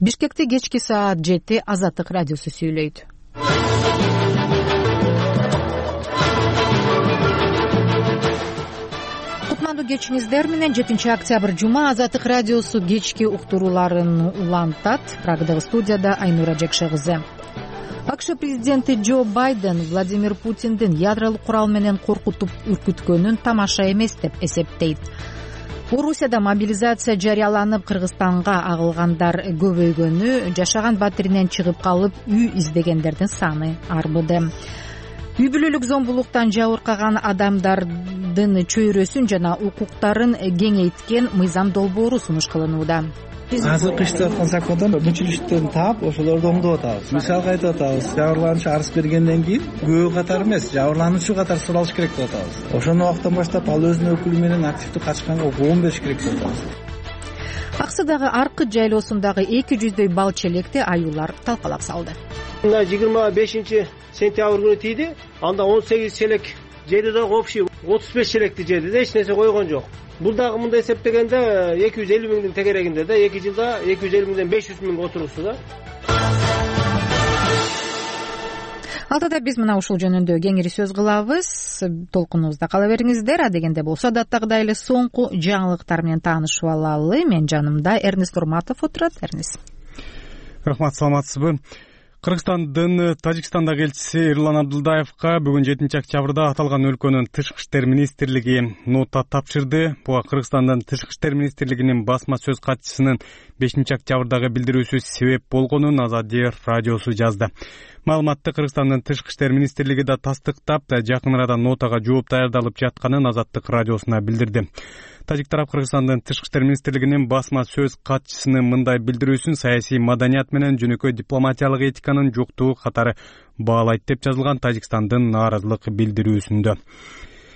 Бишкекте кечки саат 7 Азаттык радиосу сүйлөйт. Кутмандуу кечиңиздер менен 7 октябрь жума Азаттык радиосу кечки уктурууларын улантат. Прагдагы студияда Айнура Жекше кызы. АКШ президенти Джо Байден Владимир Путиндин ядролук курал менен коркутуп үркүткөнүн тамаша эмес деп эсептейт. Орусияда мобилизация жарыяланып, Кыргызстанга агылгандар көбөйгөнү, жашаган батиринен чыгып калып үй издегендердин саны арбыды. Үй бүлөлүк зомбулуктан жабыркаган адамдардын чөйрөсүн жана укуктарын кеңейткен мыйзам долбоору сунуш кылынууда. Азыркы иштеп аткан закондон мүчүлүштөрүн таап, ошолорду оңдоп атабыз. Мисалга айтып атабыз, жабырлануучу арыз бергенден кийин күбө катары эмес, жабырлануучу катары суралыш керек деп атабыз. Ошону убактан баштап ал өзүнүн өкүлү менен активдүү качканга 15 керек деп атабыз. Аксыдагы Аркыт жайлоосундагы 200дөй бал челекти аюулар талкалап салды. 25-сентябрь күнү тийди. Анда 18 челек жеди да общий 35 челекти жеди да, эч нерсе койгон жок. Бул дагы мындай эсептегенде 250 миңдин тегерегинде да, 2 жылда 250 миңден 500 миң отурусу да. Алтыда биз мына ушул жөнүндө кеңири сөз кылабыз. Толкунубузда кала бериңиздер. Адегенде болсо адаттагыдай эле соңку жаңылыктар менен таанышып алалы. Мен жанымда Эрнест Урматов отурат. Эрнест. Рахмат, саламатсызбы? Кыргызстандын Тажикстандагы элчиси Эрлан Абдылдаевга бүгүн 7 октябрда аталган өлкөнүн Тышкы иштер министрлиги нота тапшырды. Буга Кыргызстандын Тышкы иштер министрлигинин басма сөз катчысынын 5 октябрдагы билдирүүсү себеп болгонун Азадия радиосу жазды. Маалыматты Кыргызстандын Тышкы иштер министрлиги да тастыктап, жакын арада нотага жооп даярдалып жатканын Азаттык радиосуна билдирди. Тажик тарап Кыргызстандын Тышкы иштер министрлигинин басма сөз катчысынын мындай билдирүүсүн саясий маданият менен жөнөкөй дипломатиялык этиканын жоктугу катары баалайт деп жазылган Тажикстандын нааразылык билдирүүсүндө.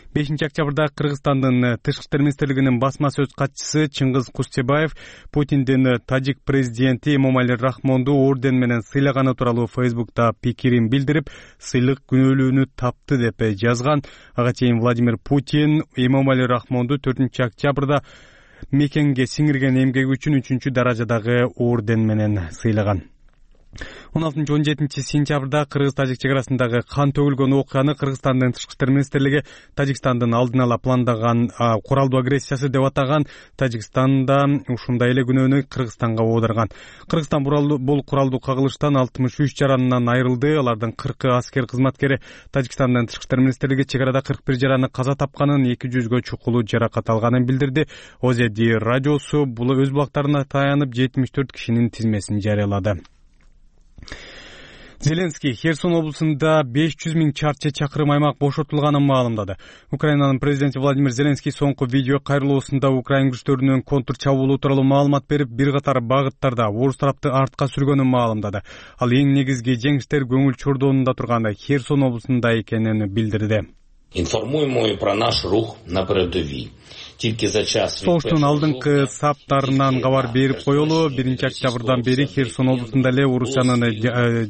5 октябрда Кыргызстандын Тышкы иштер министрлигинин басма сөз катчысы Чыңгыз Кустебаев Путиндин тажик президенти Эмомали Рахмонду орден менен сыйлаганы тууралуу Фейсбукта пикирин билдирип, сыйлык күнөөлүүнү тапты деп жазган. Ага чейин Владимир Путин Эмомали Рахмонду 4 октябрда мекенге сиңирген эмгеги үчүн 3-даражадагы орден менен сыйлаган. 16-17 сентябрда Кыргыз-Тажик чегарасындагы кан төгүлгөн окуяны Кыргызстандын Тышкы иштер министрлиги Тажикстандын алдын ала пландаган куралдуу агрессиясы деп атаган. Тажикстанда ушундай эле күнөөнү Кыргызстанга оодарган. Кыргызстан бул куралдуу кагылыштан 63 жаранынан айрылды. Алардын 40 аскер кызматкери. Тажикстандын Тышкы иштер министрлиги чегарада 41 жараны каза тапканын, 200гө чукулуу жаракат алганын билдирди. Озеди радиосу бул өз булактарына таянып 74 кишинин тизмесин жарыялады. Зеленский Херсон облусунда 500 миң чарчы чакырым аймак бошотулганын маалымдады. Украинанын президенти Владимир Зеленский соңку видео кайрылуусунда Украин күчтөрүнүн контр чабуулу тууралуу маалымат берип, бир катар багыттарда орус тарапты артка сүргөнүн маалымдады. Ал эң негизги жеңиштер көңүл чордоонунда турган Херсон облусунда экенин билдирди. Информуємо і про наш рух на передовій. Согуштун алдыңкы саптарынан кабар берип коелу. 1 октябрдан бери Херсон облусунда эле Орусиянын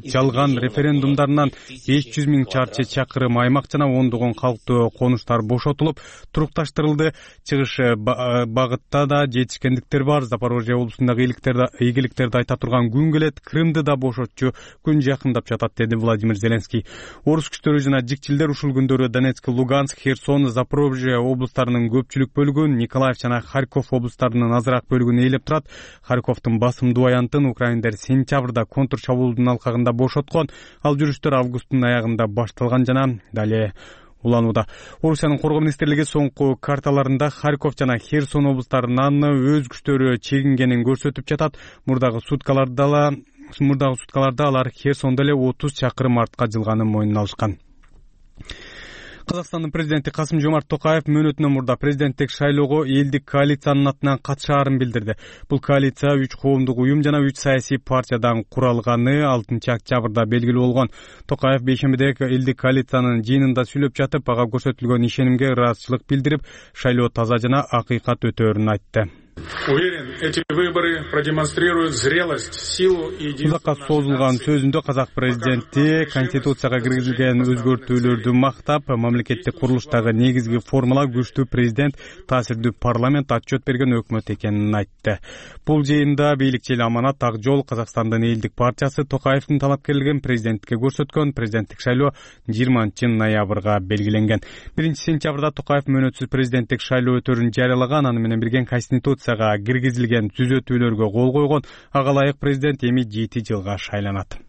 жалган референдумдарынан 500 миң чарчы чакырым аймак жана ондогон калктуу конуштар бошотулуп, турукташтырылды. Чыгыш багытта да жетишкендиктер бар. Запорожье облусундагы ийгиликтерди айта турган күн келет. Крымды да бошотчу күн жакындап жатат, деди Владимир Зеленский. Орус күчтөрү жана жикчилдер ушул күндөрү Донецк, Луганск, Херсон, Запорожье облустарынын көпчүлүк бөлүгүн, Николаев жана Харьков облустарынын азыраак бөлүгүн ээлеп турат. Харьковдун басымдуу аянтын украиндер сентябрда контр чабуулдун алкагында бошоткон. Ал жүрүштөр августтун аягында башталган жана дале уланууда. Орусиянын коргоо министрлиги соңку карталарында Харьков жана Херсон облустарынан өз күчтөрү чегингенин көрсөтүп жатат. Мурдагы суткаларда алар Херсондо эле 30 чакырым артка жылганын мойнуна алышкан. Казакстандын президенти Касым-Жомарт Токаев мөөнөтүнөн мурда президенттик шайлоого элдик коалициянын атынан катышаарын билдирди. Бул коалиция 3 коомдук уюм жана 3 саясий партиядан куралганы 6 октябрда белгилүү болгон. Токаев бейшембиде элдик коалициянын жыйынында сүйлөп жатып, ага көрсөтүлгөн ишенимге ыраазычылык билдирип, шайлоо таза жана акыйкат өтөөрүн айтты. Уверен, эти выборы продемонстрируют зрелость, силу и единство. Узакка созулган сөзүндө казак президенти Конституцияга киргизилген өзгөртүүлөрдү мактап, мамлекеттик курулуштагы негизги формула күчтүү президент, таасирдүү парламент, отчет берген өкмөт экенин айтты. Бул жыйында бийликчи эл Аманат Ак Жол Казакстандын элдик партиясы Токаевдин талапкерлигин президенттикке көрсөткөн. Президенттик шайлоо 20-ноябрга белгиленген. 1-сентябрда Токаев мөөнөтсүз президенттик шайлоо өтөрүн жарыялаган, аны менен бирге Конституцияга киргизилген түзөтүүлөргө кол койгон. Ага ылайык президент эми 7 жылга шайланат.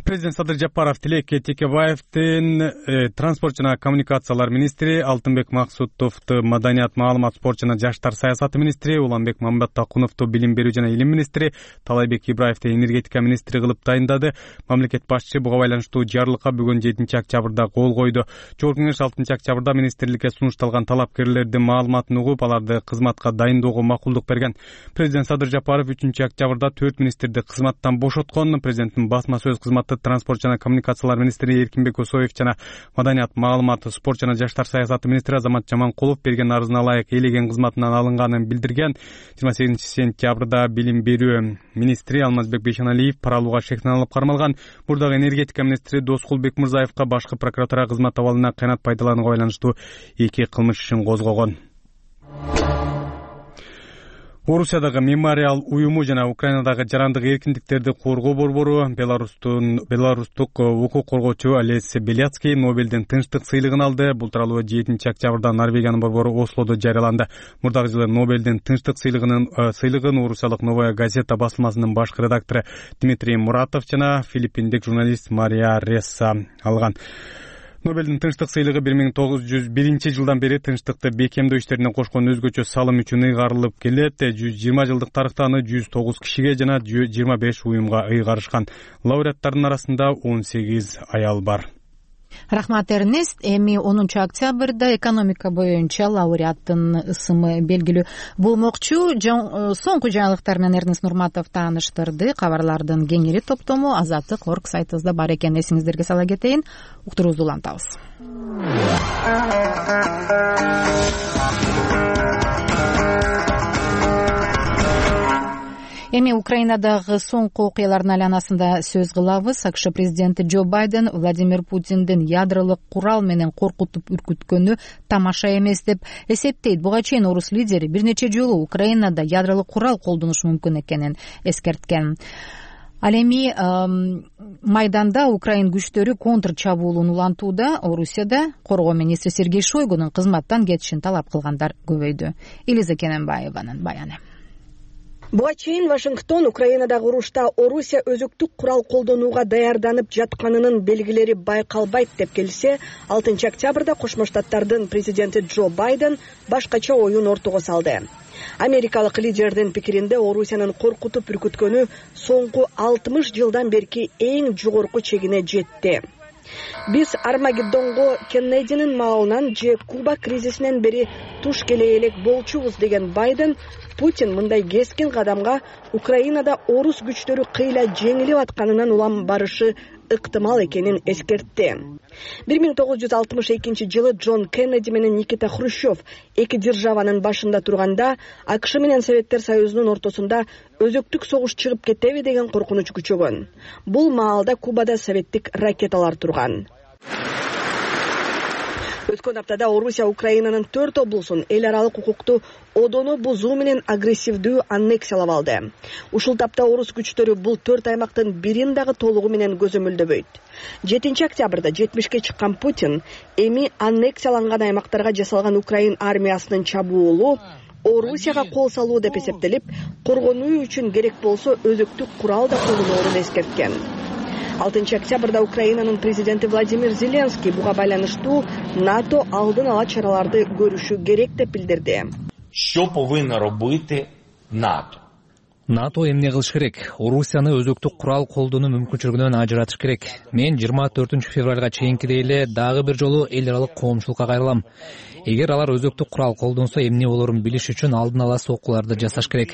Президент Садыр Жапаров Тилекке Текебаевдин транспорт жана коммуникациялар министри, Алтынбек Максутовду маданият, маалымат, спорт жана жаштар саясаты министри, Уланбек Мамбаттакуновду билим берүү жана илим министри, Талайбек Ибраевди энергетика министри кылып дайындады. Мамлекет башчы буга байланыштуу жарлыкка бүгүн 7-октябрда кол койду. Жогорку кеңеш 6-октябрда министрликке сунушталган талапкерлердин маалыматын угуп, аларды кызматка дайындоого макулдук берген. Президент Садыр Жапаров 3-октябрда 4 министрди кызматтан бошоткон. Президенттин басма сөз кызматы транспорт жана коммуникациялар министри Эркинбек Осоев жана маданият, маалымат, спорт жана жаштар саясаты министри Азамат Жаманкулов берген арызына ылайык элеген кызматынан алынганын билдирген. 28-сентябрда билим берүү министри Алмазбек Бейшеналиев пара алууга шектен алып кармалган. Мурдагы энергетика министри Доскул Бекмырзаевка башкы прокуратура кызмат абалына кыянат пайдаланууга байланыштуу 2 кылмыш ишин козгогон. Орусиядагы мемориал уюму жана Украинадагы жарандык эркиндиктерди коргоо борбору беларустук укук коргоочу Олесь Беляцкий Нобелдин тынчтык сыйлыгын алды. Бул тууралуу 7-октябрда Норвегиянын борбору Ослодо жарыяланды. Мурдагы жылы Нобелдин тынчтык сыйлыгын орусиялык Новая газета басылмасынын башкы редактору Дмитрий Муратов жана филиппиндик журналист Мария Ресса алган. Нобелдин тынчтык сыйлыгы 1901-жылдан бери тынчтыкты бекемдөө иштерине кошкон өзгөчө салым үчүн ыйгарылып келет. 120 жылдык тарыхта аны 109 кишиге жана 25 уюмга ыйгарышкан. Лауреаттардын арасында 18 аял бар. Рахмат, Эрнест. Эми 10-октябрда экономика боюнча лауреаттын ысымы белгилүү болмокчу. Соңку жаңылыктар менен Эрнест Нурматов тааныштырды. Кабарлардын кеңири топтому Азаттык.орг сайтыбызда бар экен. Эсиңиздерге сала кетейин. Уктуруубузду улантабыз. Эми Украинадагы соңку окуялардын айланасында сөз кылабыз. АКШ президенти Джо Байден Владимир Путиндин ядролук курал менен коркутуп үркүткөнү тамаша эмес деп эсептейт. Буга чейин орус лидери бир нече жолу Украинада ядролук курал колдонушу мүмкүн экенин эскерткен. Ал эми майданда Украин күчтөрү контр чабуулун улантууда. Орусияда коргоо министри Сергей Шойгунун кызматтан кетишин талап кылгандар көбөйдү. Элиза Кененбаеванын баяны. Буга чейин Вашингтон Украинадагы урушта Орусия өзөктүк курал колдонууга даярданып жатканынын белгилери байкалбайт деп келсе, 6-октябрда Кошмо Штаттардын президенти Джо Байден башкача оюн ортого салды. Америкалык лидердин пикиринде Орусиянын коркутуп үркүткөнү соңку 60 жылдан берки эң жогорку чегине жетти. Биз Армагеддонго Кеннединин маалынан же Куба кризисинен бери туш келе элек болчубуз деген Байден Путин мындай кескин кадамга Украинада орус күчтөрү кыйла жеңилип атканынан улам барышы ыктымал экенин эскертти. 1962 жылы Джон Кеннеди менен Никита Хрущев эки державанын башында турганда АКШ менен Советтер Союзунун ортосунда өзөктүк согуш чыгып кетеби деген коркунуч күчөгөн. Бул маалда Кубада советтик ракеталар турган. Өткөн аптада Орусия Украинанын 4 облусун эл аралык укукту одону бузуу менен агрессивдүү аннексиялап алды. Ушул тапта орус күчтөрү бул 4 аймактын бирин дагы толугу менен көзөмөлдөбөйт. 7-октябрда 70ке чыккан Путин эми аннексияланган аймактарга жасалган Украин армиясынын чабуулу Орусияга кол салуу деп эсептелип, коргонуу үчүн керек болсо өзөктүк курал да колдоноорун эскерткен. 6-октябрда Украинанын президенти Владимир Зеленский буга байланыштуу НАТО алдын ала чараларды көрүшү керек деп билдирди. Що повинно робити НАТО? НАТО эмне кылыш керек? Орусияны өзөктүк курал колдонуу мүмкүнчүлүгүнөн ажыратыш керек. Мен 24 февралга чейинкидей эле дагы бир жолу эл аралык коомчулукка кайрылам. Эгер алар өзөктүк курал колдонсо эмне болорун билиш үчүн алдын ала соккуларды жасаш керек.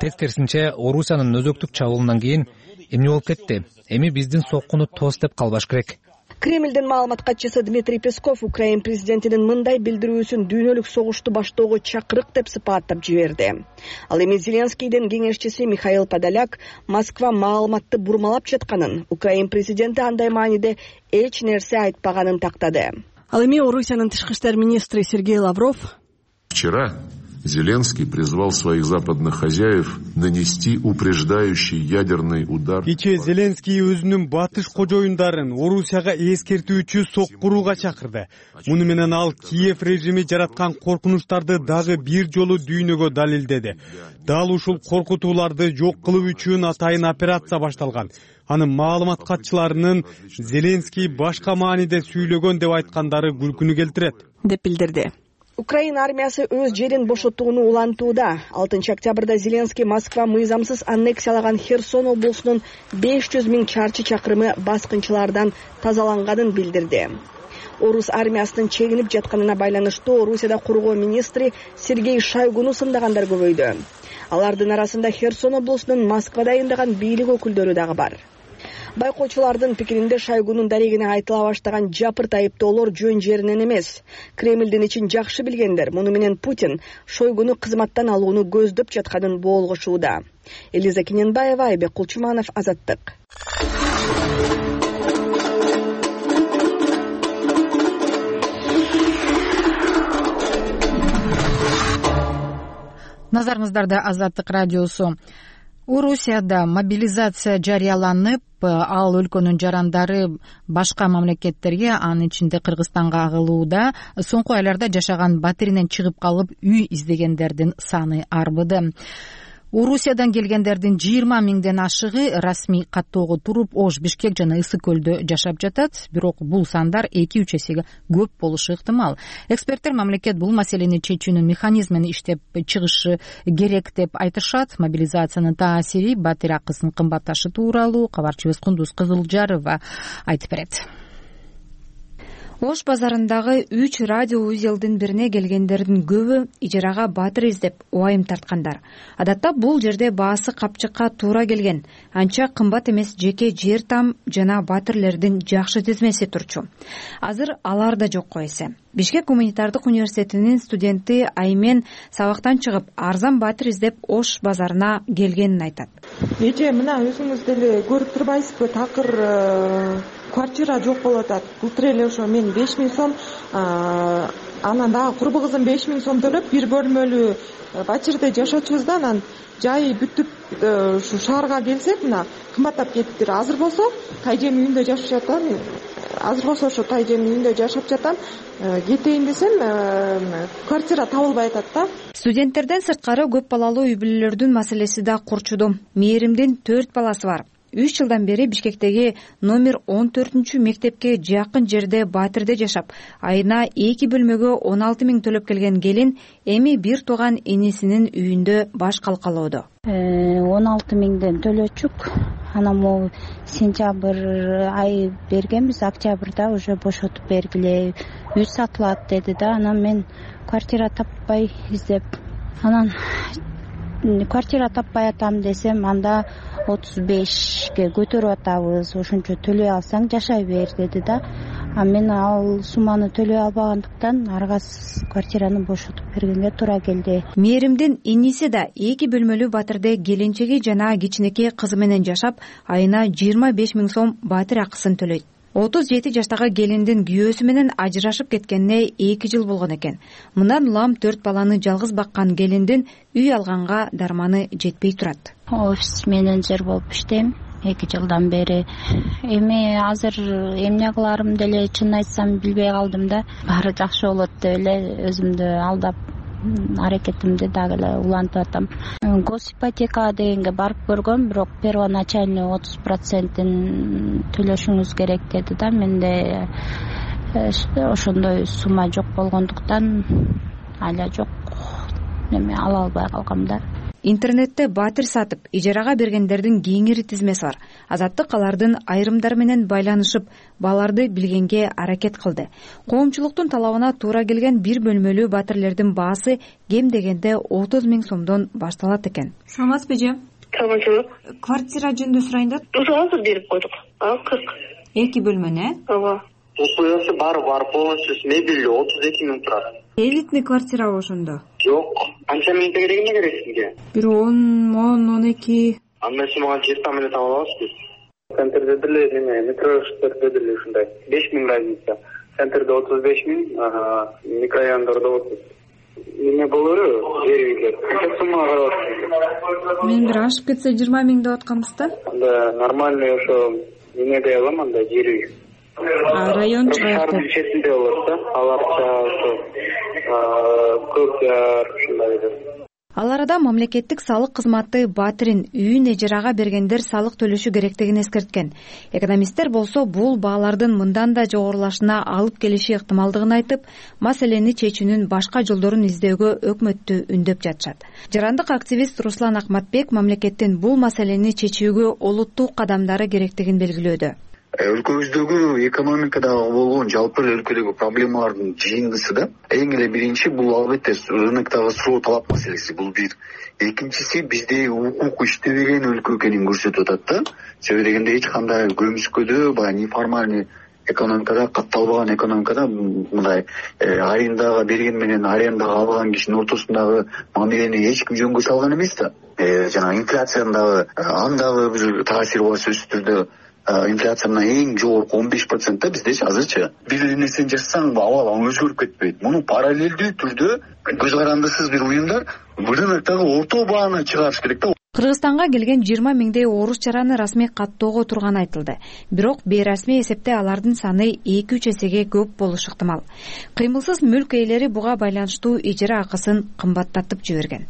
Тескерисинче, Орусиянын өзөктүк чабуулунан кийин эмне болуп кетти? Эми биздин соккуну тос деп калбаш керек. Кремлдин маалымат катчысы Дмитрий Песков Украин президентинин мындай билдирүүсүн дүйнөлүк согушту баштоого чакырык деп сыпаттап жиберди. Ал эми Зеленскийдин кеңешчиси Михаил Подоляк Москва маалыматты бурмалап жатканын, Украин президенти андай мааниде эч нерсе айтпаганын тактады. Ал эми Орусиянын тышкы иштер министри Сергей Лавров Вчера Зеленский призвал своих западных хозяев нанести упреждающий ядерный удар. Кечээ Зеленский өзүнүн батыш кожоюндарын Орусияга эскертүүчү соккурууга чакырды. Муну менен ал Киев режими жараткан коркунучтарды дагы бир жолу дүйнөгө далилдеди. Дал ушул коркутууларды жок кылуу үчүн атайын операция башталган. Анын маалымат катчыларынын Зеленский башка мааниде сүйлөгөн деп айткандары күлкүнү келтирет, деп билдирди. Украина армиясы өз жерин бошотууну улантууда. 6 октябрда Зеленский Москва мыйзамсыз аннексиялаган Херсон облусунун 500 000 чарчы чакырымы баскынчылардан тазаланганын билдирди. Орус армиясынын чегинип жатканына байланыштуу Орусияда кургоо министри Сергей Шойгуну сындагандар көбөйдү. Алардын арасында Херсон облусунун Москвада айындаган бийлик өкүлдөрү дагы бар. Байкоочулардын пикиринде Шойгунун дарегине айтыла баштаган жапырт айыптоолор жөн жеринен эмес. Кремлдин ичин жакшы билгендер, муну менен Путин Шойгуну кызматтан алууну көздөп жатканын боолгошууда. Элиза Кененбаева, Айбек Кулчуманов, Азаттык. Назарыңыздарда Азаттык радиосу. Орусияда мобилизация жарыяланып, ал өлкөнүн жарандары башка мамлекеттерге, анын ичинде Кыргызстанга агылууда. Соңку айларда жашаган батиринен чыгып калып үй издегендердин саны арбыды. Орусиядан келгендердин 20 000ден ашыгы расмий каттоого туруп Ош, Бишкек жана Ысык көлдө жашап жатат. Бирок бул сандар 2-3 эсеге көп болушу ыктымал. Эксперттер мамлекет бул маселени чечүүнүн механизмин иштеп чыгышы керек деп айтышат. Мобилизациянын таасири батир акысынын кымбатташы тууралуу кабарчыбыз Кундуз Кызылжарова айтып берет. Ош базарындагы 3 радио узелдин бирине келгендердин көбү ижарага батыр издеп убайым тарткандар. Адатта бул жерде баасы капчыкка туура келген, анча кымбат эмес жеке жер там жана батирлердин жакшы тизмеси турчу. Азыр алар да жокко эсе. Бишкек гуманитардык университетинин студенти Аймен сабактан чыгып арзан батир издеп Ош базарына келгенин айтат. Эже мына өзүңүз деле көрүп турбайсызбы, такыр квартира жок болуп атат. Былтыр эле ошо мен 5 000 сом, анан дагы курбу кызым 5 000 сом төлөп бир бөлмөлүү батирде жашачубуз да, анан жайы бүтүп ушу шаарга келсек мына кымбаттап кетиптир. Азыр болсо тайжем үйүндө жашап жатам. Жашап жатам. Кетейин десем, квартира табылбай атат да. Студенттерден сырткары көп балалуу үй бүлөлөрдүн маселеси да курчуду. Мээримдин 4 баласы бар. 3 жылдан бери Бишкектеги номер 14 мектепке жакын жерде батирде жашап, айына 2 бөлмөгө 16 000 төлөп келген келин эми бир тууган энесинин үйүндө баш калкалоодо. 16 000ден төлөчүк. Анан могу сентябрь ай бергенбиз, октябрда уже бошотуп бергиле, үй сатылат деди да. Анан мен квартира таппай издеп, анан квартира таппай атам десем, анда 35ге көтөрүп атабыз, ошончо төлөй алсаң жашай бер деди да. А мен ал сумманы төлөй албагандыктан аргасыз квартираны бошотуп бергенге туура келди. Мээримдин иниси да 2 бөлмөлүү батирде келинчеги жана кичинекей кызы менен жашап, айына 25 000 сом батир акысын төлөйт. 37 жаштагы келиндин күйөөсү менен ажырашып кеткенине 2 жыл болгон экен. Мындан улам 4 баланы жалгыз баккан келиндин үй алганга дарманы жетпей турат. Офис менеджер болуп иштейм 2 жылдан бери. Эми азыр эмне кыларым деле чын айтсам билбей калдым да. Баары жакшы болот деп эле өзүмдү алдап аракетимди дагы эле улантып атам. Госипотека дегенге барып көргөм, бирок первоначальный 30%-ин төлөшүңүз керек деди да. Менде ошондой сумма жок болгондуктан ала жок, эми ала албай калгам да. Интернетте батир сатып, ижарага бергендердин кеңири тизмеси бар. Азаттык алардын айрымдары менен байланышып, баларды билгенге аракет кылды. Коомчулуктун талабына туура келген бир бөлмөлүү батирлердин баасы кем дегенде 30 000 сомдон башталат экен. Саламатсызбы эже? Саламатчылык. Квартира жөнүндө сурайын да. Ошо азыр берип койдук. 40. 2 бөлмөнү? Ооба. Условиясы бар полностью мебель 32 миң турат. Элитный квартирабы ошондо? Жок. Канча миң тегерегине керек сизге? Бир 10-12. Анда сиз мага жер там эле таап аласыз. Центрде деле метроштарда деле ушундай 5 миң разница. Центрде 35 миң, микрорайондордо 30. Эмне болору? Жер үйлөр. Канча сумма карап? Мен бир ашып кетсе 20 миң деп атканбыз да. Анда нормальный ошо эмеде алам, анда жер үй. Район шаардын четинде болот да. Аларча ошо Көкжар ушундай. Ал арада мамлекеттик салык кызматы Батирин үйүн эжарага бергендер салык төлөшү керектигин эскерткен. Экономисттер болсо бул баалардын мындан да жогорулашына алып келиши ыктымалдыгын айтып, маселени чечүүнүн башка жолдорун издөөгө өкмөттү үндөп жатышат. Жарандык активист Руслан Акматбек мамлекеттин бул маселени чечүүгө олуттуу кадамдары керектигин белгилөөдө. Өлкөбүздөгү экономикадагы болгон жалпы өлкөдөгү проблемалардын жыйындысы да эң эле биринчи бул албетте рыноктогу суроо талап маселеси. Бул бир. Экинчиси бизде укук иштебеген өлкө экенин көрсөтүп атат да. Себеби дегенде эч кандай көмүскөдө баягы неформальный экономикада, катталбаган экономикада мындай арендага берген менен арендага алган кишинин ортосундагы мамилени эч ким жөнгө салган эмес да. Жана инфляциядагы андагы бир таасири бар сөзсүз түрдө. Инфляция мына эң жогорку 15% бизде азырчы. Бир нерсени жасасаң, абал өзгөрүп кетпейт. Муну параллелдүү түрдө көз карандысыз бир уюмдар рыноктогу орто бааны чыгарыш керек да. Кыргызстанга келген 20 миңдей орус чараны расмий каттоого турганы айтылды. Бирок бейрасмий эсепте алардын саны 2-3 эсеге көп болушу ыктымал. Кыймылсыз мүлк ээлери буга байланыштуу ижара акысын кымбаттатып жиберген.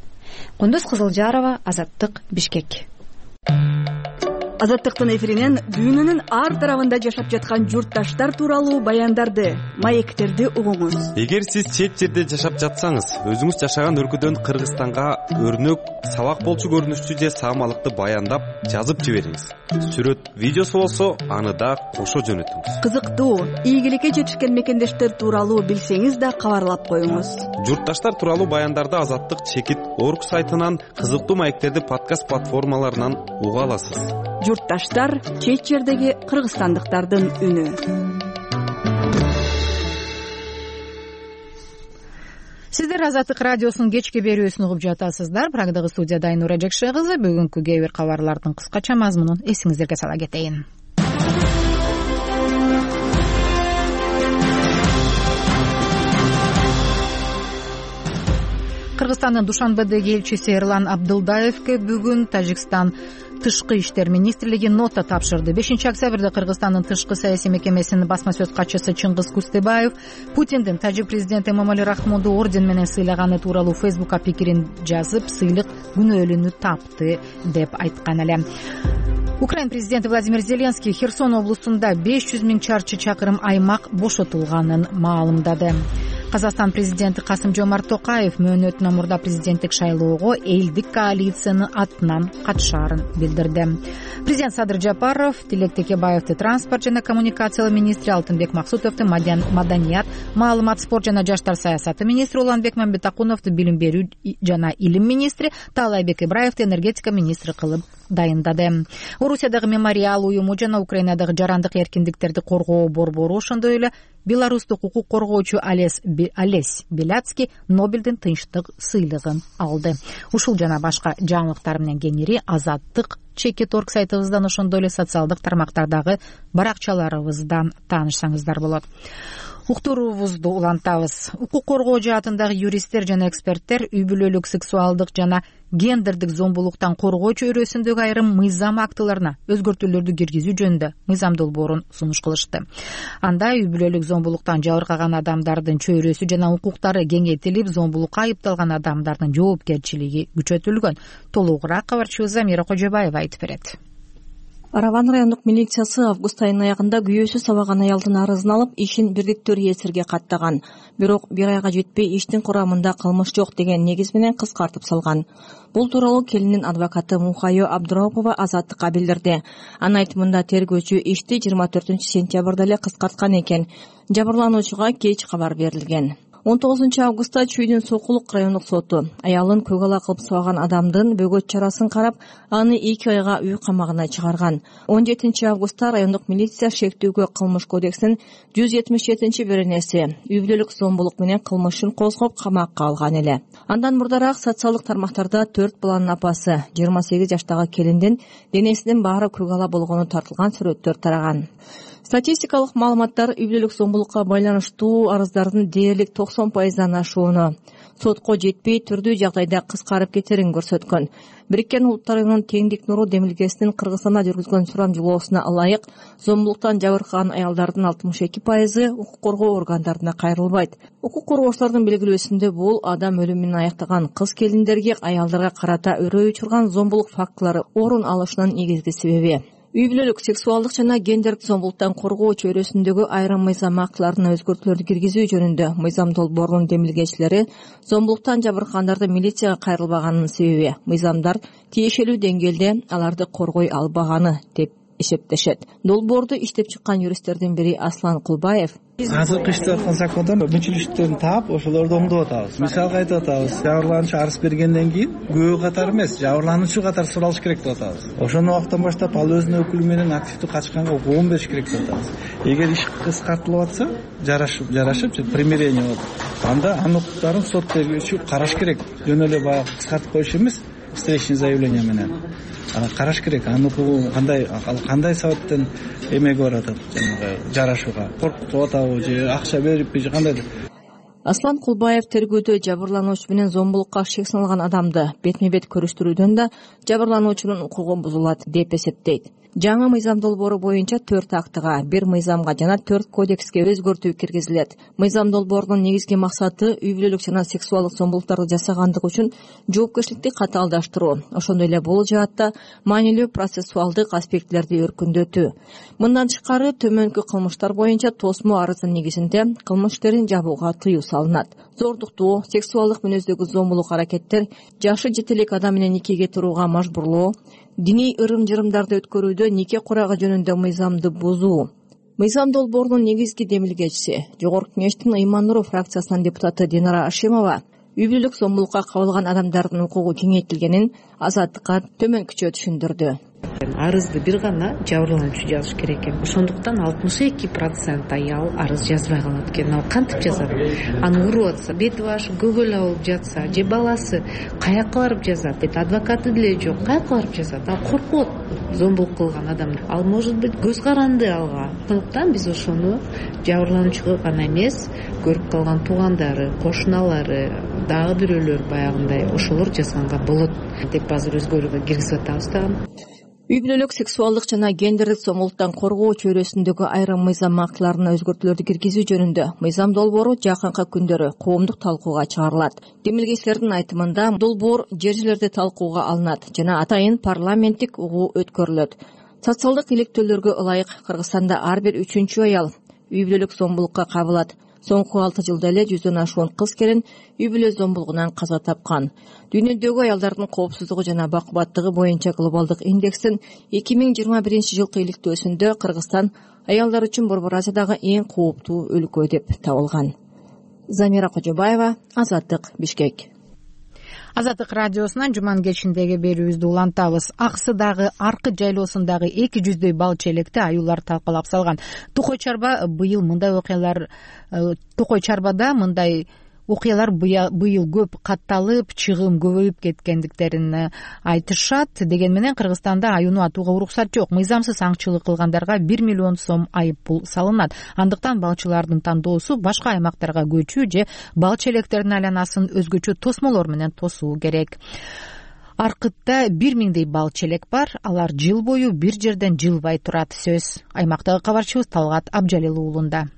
Кундуз Кызылжарова, Азаттык, Бишкек. Азаттыктын эфиринен дүйнөнүн ар тарабында жашап жаткан журтташтар тууралуу баяндарды, маектерди угуңуз. Эгер сиз чет жерде жашап жатсаңыз, өзүңүз жашаган өлкөдөн Кыргызстанга өрнөк, сабак болчу көрүнүштүү же саамалыкты баяндап жазып жибериңиз. Сүрөт, видеосу болсо, аны да кошо жөнөтүңүз. Кызыктуу, ийгиликке жетишкен мекендештер тууралуу билсеңиз да кабарлап коюңуз. Журтташтар тууралуу баяндарды Азаттык чекит орг сайтынан, кызыктуу маектерди подкаст платформаларынан уга аласыз. Журтташтар — чет жердеги кыргызстандыктардын үнү. Сиздер Азаттык радиосунун кечки берүүсүн угуп жатасыздар. Прагдагы студияда Айнура Жекше кызы. Бүгүнкү кээ бир кабарлардын кыскача мазмунун эсиңиздерге сала кетейин. Кыргызстандын Душанбедеги элчиси Эрлан Абдылдаевке бүгүн Тажикстан Тышкы иштер министрлиги нота тапшырды. 5-октябрда Кыргызстандын тышкы саясий мекемесинин басма сөз катчысы Чыңгыз Кустебаев Путиндин тажик президенти Эмомали Рахмонду орден менен сыйлаганы тууралуу Фейсбукка пикирин жазып, сыйлык күнөөлүүнү тапты деп айткан эле. Украин президенти Владимир Зеленский Херсон облусунда 500 миң чарчы чакырым аймак бошотулганын маалымдады. Казакстан президенти Касым-Жомарт Токаев мөөнөтүнөн мурда президенттик шайлоого элдик коалициянын атынан катышаарын билдирди. Президент Садыр Жапаров Тилек Текебаевди транспорт жана коммуникациялар министри, Алтынбек Максутовду маданият, маалымат, спорт жана жаштар саясаты министри, Уланбек Мамбетакуновду билим берүү жана илим министри, Таалайбек Ибраевди энергетика министри кылып дайындады. Орусиядагы мемориал уюму жана Украинадагы жарандык эркиндиктерди коргоо борбору, ошондой эле беларустук укук коргоочу Олесь Беляцкий Нобелдин тынчтык сыйлыгын алды. Ушул жана башка жаңылыктар менен кеңири Азаттык чекит орг сайтыбыздан, ошондой эле социалдык тармактардагы баракчаларыбыздан таанышсаңыздар болот. Уктуруубузду улантабыз. Укук коргоо жаатындагы юристтер жана эксперттер үй бүлөлүк сексуалдык жана гендердик зомбулуктан коргоо чөйрөсүндөгү айрым мыйзам актыларына өзгөртүүлөрдү киргизүү жөнүндө мыйзам долбоорун сунуш кылышты. Анда үй бүлөлүк зомбулуктан жабыркаган адамдардын чөйрөсү жана укуктары кеңейтилип, зомбулукка айыпталган адамдардын жоопкерчилиги күчөтүлгөн. Толугураак кабарчыбыз Замира Кожобаева айтып берет. Араван райондук милициясы август айынын аягында күйөөсү сабаган аялдын арызын алып, ишин бирдиктүү реестрге каттаган. Бирок бир айга жетпей иштин курамында кылмыш жок деген негиз менен кыскартып салган. Бул тууралуу келиндин адвокаты Мухайо Абдурапова Азаттыкка билдирди. Анын айтымында тергөөчү ишти 24 сентябрда эле кыскарткан экен. Жабырлануучуга кеч кабар берилген. 19 августта Чүйдүн Сокулук райондук соту аялын көк ала кылып сабаган адамдын бөгөт чарасын карап, аны 2 айга үй камагына чыгарган. 17 августта райондук милиция шектүүгө кылмыш кодексинин 177-беренеси үй бүлөлүк зомбулук менен кылмышын козгоп камакка алган эле. Андан мурдараак социалдык тармактарда 4 баланын апасы 28 жаштагы келиндин денесинин баары көк ала болгону тартылган сүрөттөр тараган. Статистикалык маалыматтар үй бүлөлүк зомбулукка байланыштуу арыздардын дээрлик 90%дан ашууну, сотко жетпей түрдүү жагдайда кыскарып кетерин көрсөткөн. Бириккен Улуттар Уюмунун теңдик нуру демилгесинин Кыргызстанда жүргүзгөн сурамжылоосуна ылайык зомбулуктан жабыркаган аялдардын 62% укук коргоо органдарына кайрылбайт. Укук коргоочулардын белгилөөсүндө бул адам өлүмүн аяктаган кыз келиндерге аялдарга карата өрөө учурган зомбулук фактылары орун алышынын негизги себеби. Үй бүлөлүк сексуалдык жана гендердик зомбулуктан коргоо чөйрөсүндөгү айрым мыйзам актыларына өзгөртүүлөрдү киргизүү жөнүндө мыйзам долбоорунун демилгечилери зомбулуктан жабыркагандардын милицияга кайрылбаганынын себеби мыйзамдар тиешелүү деңгээлде аларды коргой албаганы деп эсептешет. Долбоорду иштеп чыккан юристтердин бири Аслан Кулбаев азыркы иштеп аткан закондон мүчүлүштөрүн таап ошолорду оңдоп атабыз. Мисалга айтып атабыз, жабырлануучу арыз бергенден кийин күбө катары эмес, жабырлануучу катары суралыш керек деп атабыз. Ошону убактан баштап ал өзүнүн өкүлү менен активдүү качканга укугун бериш керек деп атабыз. Эгер иш кыскартылып атса, жарашып примирение болуп, анда анын укуктарын сот тергөөчү караш керек. Жөн эле баягы кыскартып коюш эмес, встречный заявление менен караш керек. Анын укугу кандай себептен эмеге баратат, жанагы жарашууга коркутуп атабы же акча бериппи же кандайдыр. Аслан Кулбаев тергөөдө жабырлануучу менен зомбулукка шек салган адамды бетме-бет көрүштүрүүдөн да жабырлануучунун укугу бузулат деп эсептейт. Жаңы мыйзам долбоору боюнча 4 актыга, 1 мыйзамга жана 4 кодекске өзгөртүү киргизилет. Мыйзам долбоорунун негизги максаты үй бүлөлүк жана сексуалдык зомбулуктарды жасагандык үчүн жоопкерчиликти катаалдаштыруу. Ошондой эле бул жаатта маанилүү процессуалдык аспектилерди өркүндөтүү. Мындан тышкары төмөнкү кылмыштар боюнча тосмо арыздын негизинде кылмыш иштерин жабууга тыюу салынат. Зордуктуу, сексуалдык мүнөздөгү зомбулук аракеттер, жашы жете элек адам менен никеге турууга мажбурлоо, диний ырым-жырымдарды өткөрүүдө нике курагы жөнүндө мыйзамды бузуу. Мыйзам долбоорунун негизги демилгечиси, Жогорку Кеңештин Ыйман Нуру фракциясынын депутаты Динара Ашимова үй бүлөлүк зомбулукка кабылган адамдардын укугу кеңейтилгенин Азаттыкка төмөнкүчө түшүндүрдү. Арызды бир гана жабырлануучу жазыш керек экен. Ошондуктан 62% аял арыз жазбай калат экен. Ал кантип жазат? Аны уруп атса, бети башы көгөлө болуп жатса, же баласы каяка барып жазат? Адвокаты деле жок, каяка барып жазат? Ал коркот зомбулук кылган адам. Ал может быть көз каранды алга. Ошондуктан биз ошону жабырлануучуга гана эмес, көрүп калган туугандары, кошуналары, дагы бирөөлөр баягындай ошолор жазганга болот деп азыр өзгөрүүгө киргизип атабыз да. Үй бүлөлүк сексуалдык жана гендердик зомбулуктан коргоо чөйрөсүндөгү айрым мыйзам актыларына өзгөртүүлөрдү киргизүү жөнүндө мыйзам долбоору жакынкы күндөрү коомдук талкууга чыгарылат. Демилгечилердин айтымында долбоор жер жерлерде талкууга алынат жана атайын парламенттик угуу өткөрүлөт. Социалдык иликтөөлөргө ылайык Кыргызстанда ар бир 3-чү аял үй бүлөлүк зомбулукка кабылат. Соңку 6 жылда эле 100дөн ашуун кыз келин үй бүлө зомбулугунан каза тапкан. Дүйнөдөгү аялдардын коопсуздугу жана бакубаттыгы боюнча глобалдык индекстин 2021-жылкы иликтөөсүндө Кыргызстан аялдар үчүн Борбор Азиядагы эң кооптуу өлкө деп табылган. Замира Кожобаева, Азаттык, Бишкек. Азаттык радиосунан жуманын кечиндеги берүүбүздү улантабыз. Аксыдагы Аркы жайлоосундагы 200дөй бал челекти аюулар талкалап салган. Токой Чарба быйыл мындай окуялар Токой Чарбада мындай окуялар быйыл көп катталып, чыгым көбөйүп кеткендиктерин айтышат. Деген менен Кыргызстанда аюуну атууга уруксат жок. Мыйзамсыз аңчылык кылгандарга 1 миллион сом айып пул салынат. Андыктан балчылардын тандоосу башка аймактарга көчүү же бал челектердин айланасын өзгөчө тосмолор менен тосуу керек. Аркытта 1000дей бал челек бар. Алар жыл бою бир жерден жылбай турат. Сөз аймактагы кабарчыбыз Талгат Абжалил уулунда.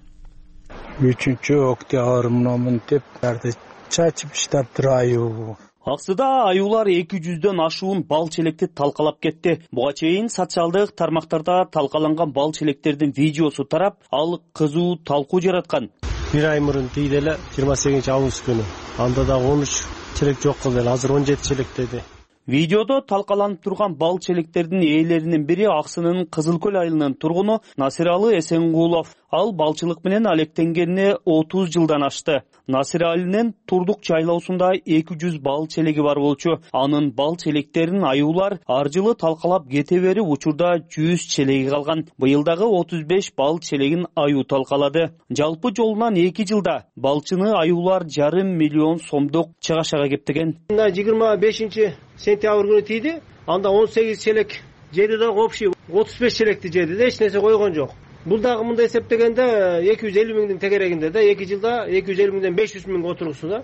3-октябрмын деп барды чачып иштаптыр аюу. Аксыда аюулар 200дөн ашуун бал челекти талкалап кетти. Буга чейин социалдык тармактарда талкаланган бал челектердин видеосу тарап, ал кызуу талкуу жараткан. Бир ай мурун дейди эле 28-август күнү. Анда да 13 челек жок кылды, азыр 17 челек деди. Видеодо талкаланып турган бал челектердин ээлеринин бири Аксынын Кызыл Көл айылынын тургуну Насиралы Эсенгулов. Ал балчылык менен алектенгенине 30 жылдан ашты. Насир Алинин Турдук жайлоосунда 200 бал челеги бар болчу. Анын бал челектерин аюулар ар жылы талкалап кете берип, учурда 100 челеги калган. Быйыл дагы 35 бал челегин аюу талкалады. Жалпы жолунан 2 жылда балчыны аюулар 500 миллион сомдук чыгашага кептеген. 25 сентябрь күнү тийди. Анда 18 челек жеди да общий 35 челекти жеди да эч нерсе койгон жок. Бул дагы мындай эсептегенде 250 миңдин тегерегинде да 2 жылда 250 миңден 500 миң отургусу да.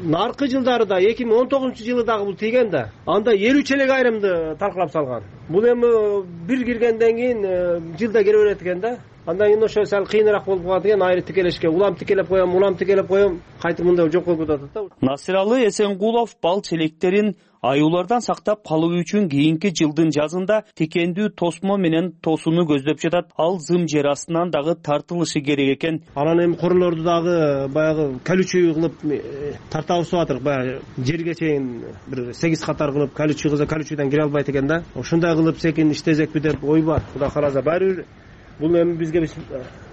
Наркы жылдары да 2019-жылы дагы бул тийген да. Анда 50 челек айрымды талкалап салган. Бул эми бир киргенден кийин жылда келе берет экен да. Андан кийин ошо сал кыйыныраак болуп калат экен, айры тикелешке. Улам тикелеп коем, кайтып мындай жок болуп атат да. Насиралы Эсенгулов бал челектерин аюулардан сактап калуу үчүн кийинки жылдын жазында тикендүү тосмо менен тосууну көздөп жатат. Ал зым жер астынан дагы тартылышы керек экен. Анан эми королорду дагы баягы колючий кылып тартабыз деп атырык. Баягы жерге чейин бир 8 катар кылып колючий кылса колючийден кире албайт экен да. Ошондой кылып секин иштесекпи деп ой бар. Кудай кааласа баары бир бул эми бизге биз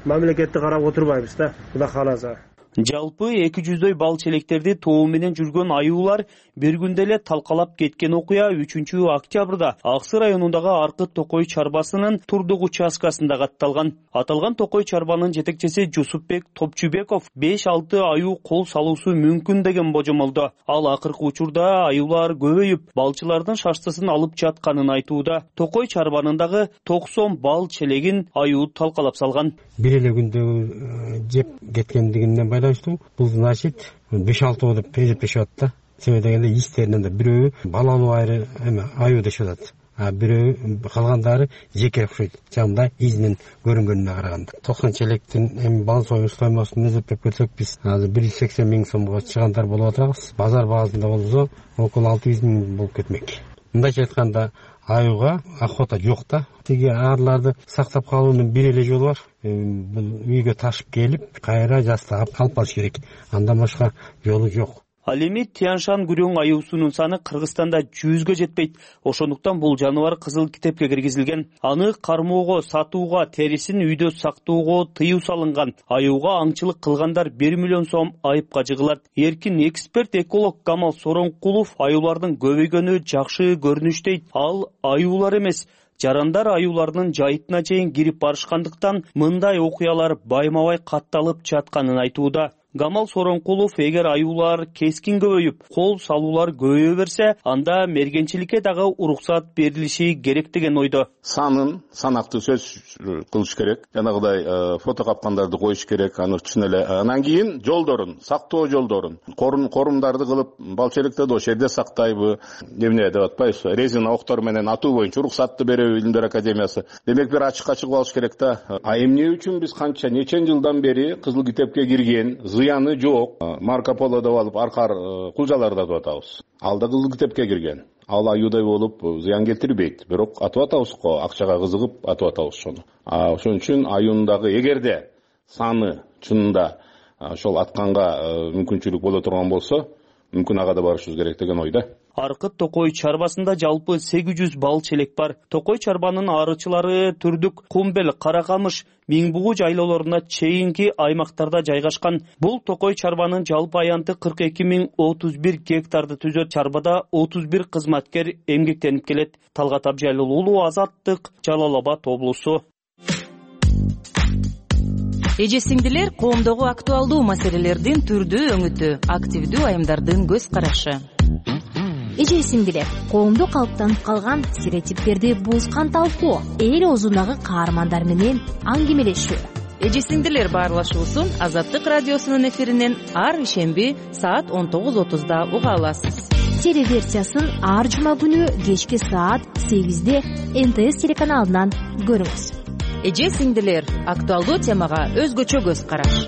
мамлекетти карап отурбайбыз да. Кудай кааласа. Жалпы 200дөй бал челектерди тоо менен жүргөн аюулар бир күндө эле талкалап кеткен окуя 3-октябрда Аксы районундагы Аркы Токой чарбасынын Турдук участкасында катталган. Аталган Токой чарбанын жетекчиси Жусупбек Топчубеков 5-6 аюу кол салуусу мүмкүн деген божомолдо. Ал акыркы учурда аюулар көбөйүп, балчылардын шаштысын алып жатканын айтууда. Токой чарбанындагы 90 бал челегин аюу талкалап салган. Бир эле күндө жеп кеткендигинен байланыштуу бул значит 5-6 деп эсептешип атат да. Себеби дегенде истеринен да бирөө балануу айры аюу дешип атат. А бирөө калгандары жеке окшойт. Жамда изинен көрүнгөнүнө караганда. 90 челектин эми бал союу стоимостун эсептеп көрсөк биз азыр 180 миң сомго чыгандар болуп атабыз. Базар баасында болсо около 600 миң болуп кетмек. Мындайча айтканда аюуга охота жок да. Тиги арларды сактап калуунун бир эле жолу бар. Бул үйгө ташып келип, кайра жастап алып калыш керек. Андан башка жолу жок. Ал эми Тяншан күрөң аюусунун саны Кыргызстанда 100гө жетпейт. Ошондуктан бул жаныбар кызыл китепке киргизилген. Аны кармоого, сатууга, терисин үйдө сактоого тыюу салынган. Аюуга аңчылык кылгандар 1 миллион сом айыпка жыгылат. Эркин эксперт эколог Камал Соронкулов аюулардын көбөйгөнү жакшы көрүнүш дейт. Ал аюулар эмес, жарандар аюулардын жайытына чейин кирип барышкандыктан мындай окуялар байма-бай катталып жатканын айтууда. Камал Соронкулов эгер аюулар кескин көбөйүп, кол салуулар көбөйө берсе, анда мергенчиликке дагы уруксат берилиши керек деген ойдо. Санын санактуу сөз кылыш керек. Жанагыдай фото капкандарды коюш керек. Аны чын эле анан кийин жолдорун, сактоо жолдорун, корумдарды кылып, бал челектерди ошол жерде сактайбы, эмне деп атпайбызбы? Резина октор менен атуу боюнча уруксатты береби Илимдер академиясы. Демек бир ачыкка чыгып алыш керек да. Эмне үчүн биз канча нечен жылдан бери кызыл китепке кирген, зыяны жок, Марко Поло деп алып аркар кулжаларда деп атабыз. Ал да кызыл китепке кирген. Ал аюудай болуп зыян келтирбейт. Бирок атып атабыз го, акчага кызыгып атып атабыз ошону. Ошон үчүн аюундагы эгерде саны чынында ошол атканга мүмкүнчүлүк боло турган болсо, мүмкүн ага да барышыбыз керек деген ойда. Аркы Токой чарбасында жалпы 800 бал челек бар. Токой чарбанын арычылары Түрдүк, Кумбел, Каракамыш, Миңбугу жайлоолоруна чейинки аймактарда жайгашкан. Бул Токой чарбанын жалпы аянты 42.031 гектарды түзөт. Чарбада 31 кызматкер эмгектенип келет. Талгат Абжайлыл уулу, Азаттык, Жалал Абад облусу. Эже сиңдилер, коомдогу актуалдуу маселелердин түрдүү өңүтү, активдүү айымдардын көз карашы. Эже сиңдилер, коомдо калыптанып калган стереотиптерди буузган талкуу, эл оозундагы каармандар менен аңгемелешүү. Эже сиңдилер баарлашуусун Азаттык радиосунун эфиринен ар ишемби саат 19:30 уга аласыз. Телеверсиясын ар жума күнү кечки саат 8-де НТС телеканалынан көрүңүз. Эже сиңдилер, актуалдуу темага өзгөчө көз караш.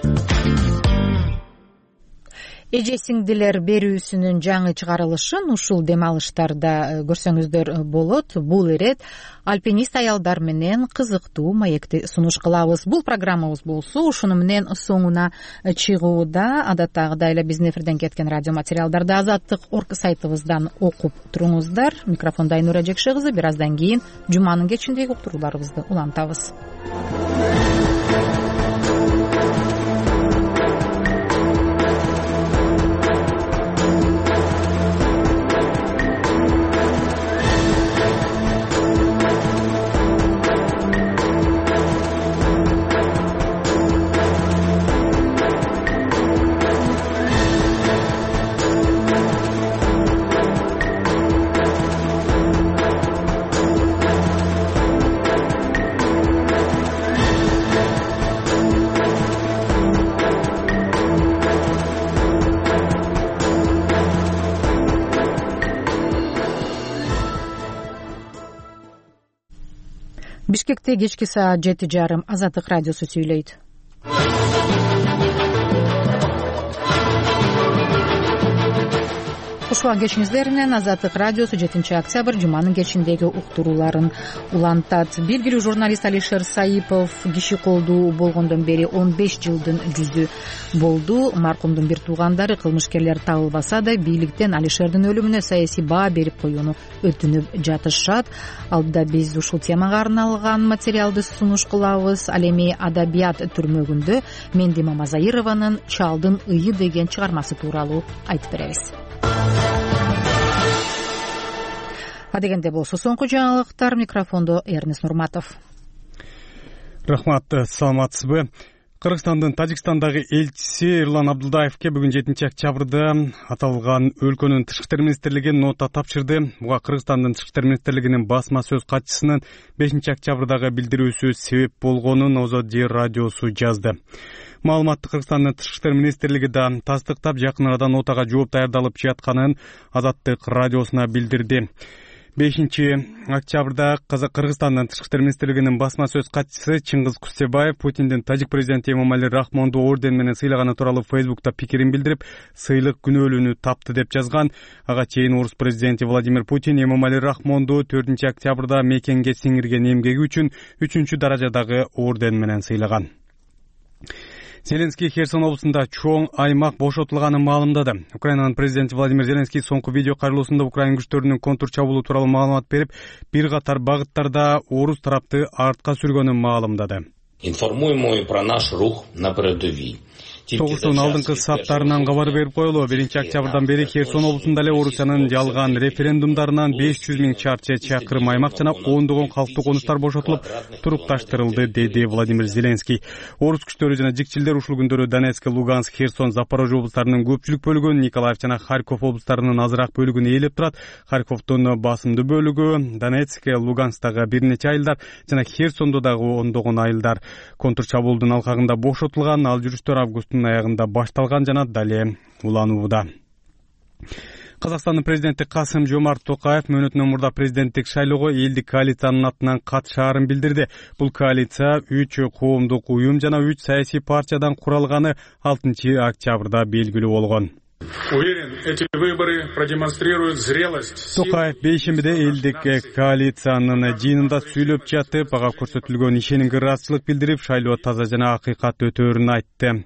Эже сиңдилер берүүсүнүн жаңы чыгарылышын ушул дем алыштарда көрсөңүздөр болот. Бул ирет альпинист аялдар менен кызыктуу маекти сунуш кылабыз. Бул программабыз болсо ушуну менен соңуна чыгууда. Адаттагыдай эле биздин эфирден кеткен радио материалдарды Азаттык.орг сайтыбыздан окуп туруңуздар. Микрофондо Айнура Жекше кызы. Бир аздан кийин жуманын кечиндеги уктурууларыбызды улантабыз. Бишкекте кечки саат 7:30 Азаттык радиосу сүйлөйт. Кушулган кечиңиздер менен Азаттык радиосу 7-октябрь жуманын кечиндеги уктурууларын улантат. Белгилүү журналист Алишер Саипов киши колдуу болгондон бери 15 жылдын жүзү болду. Маркумдун бир туугандары кылмышкерлер табылбаса да бийликтен Алишердин өлүмүнө саясий баа берип коюуну өтүнүп жатышат. Алдыда биз ушул темага арналган материалды сунуш кылабыз. Ал эми адабият түрмөгүндө Менди Мамазаированын Чалдын ыйы деген чыгармасы тууралуу айтып беребиз. Адегенде болсо соңку жаңылыктар. Микрофондо Эрнес Нурматов. Рахмат, саламатсызбы? Кыргызстандын Тажикстандагы элчиси Эрлан Абдылдаевке бүгүн 7-октябрда аталган өлкөнүн тышкы иштер министрлиги нота тапшырды. Буга Кыргызстандын тышкы иштер министрлигинин басма сөз катчысынын 5-октябрдагы билдирүүсү себеп болгонун Озоди радиосу жазды. Маалыматты Кыргызстандын тышкы иштер министрлиги да тастыктап, жакын арада нотага жооп даярдалып жатканын Азаттык радиосуна билдирди. 5-октябрда Кыргызстандын тышкы иштер министрлигинин басма сөз катчысы Чыңгыз Кустебаев Путиндин тажик президенти Эмомали Рахмонду орден менен сыйлаганы тууралуу Фейсбукта пикирин билдирип, сыйлык күнөөлүүнү тапты деп жазган. Ага чейин орус президенти Владимир Путин Эмомали Рахмонду 4-октябрда мекенге сиңирген эмгеги үчүн 3-даражадагы орден менен сыйлаган. Зеленский Херсон облусунда чоң аймак бошотулганын маалымдады. Украинанын президенти Владимир Зеленский соңку видео кайрылуусунда Украин күчтөрүнүн контур чабуулу тууралуу маалымат берип, бир катар багыттарда орус тарапты артка сүргөнүн маалымдады. Информуем про наш рух на передовой. Согуштун алдыңкы саптарынан кабар берип коелу. 1-октябрдан бери Херсон облусунда эле Орусиянын жалган референдумдарынан 500 000 чарчы чакырым аймак жана ондогон калктуу конуштар бошотулуп, турукташтырылды, деди Владимир Зеленский. Орус күчтөрү жана жикчилдер ушул күндөрү Донецк, Луганск, Херсон, Запорожье облустарынын көпчүлүк бөлүгүн, Николаев жана Харьков облустарынын азыраак бөлүгүн ээлеп турат. Харьковдун басымдуу бөлүгү, Донецк, Луганскдагы бир нече айылдар жана Херсондо дагы ондогон айылдар контур чабуулдун алкагында бошотулган. Ал жүрүштөр августтун аягында башталган жана дале уланууда. Казакстандын президенти Касым-Жомарт Токаев мөөнөтүнөн мурда президенттик шайлоого элдик коалициянын атынан катышаарын билдирди. Бул коалиция 3 коомдук уюм жана 3 саясий партиядан куралганы 6-октябрда белгилүү болгон. Уверен, эти выборы продемонстрируют зрелость. Токаев бейшембиде элдик коалициянын жыйынында сүйлөп жатып, ага көрсөтүлгөн ишенимге ыраазычылык билдирип, шайлоо таза жана акыйкат өтөөрүн айтты.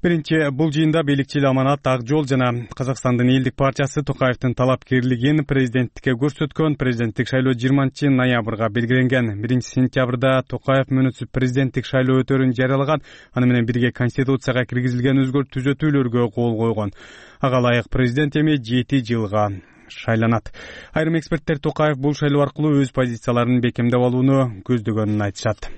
Биринчи бул жыйында бийликчил Аманат Ак жол жана Казакстандын элдик партиясы Токаевдин талапкерлигин президенттикке көрсөткөн. Президенттик шайлоо 20-ноябрга белгиленген. 1-сентябрда Токаев мөөнөтсүз президенттик шайлоо өтөөрүн жарыялаган. Аны менен бирге конституцияга киргизилген түзөтүүлөргө кол койгон. Ага ылайык президент эми 7 жылга шайланат. Айрым эксперттер Токаев бул шайлоо аркылуу өз позицияларын бекемдеп алууну көздөгөнүн айтышат.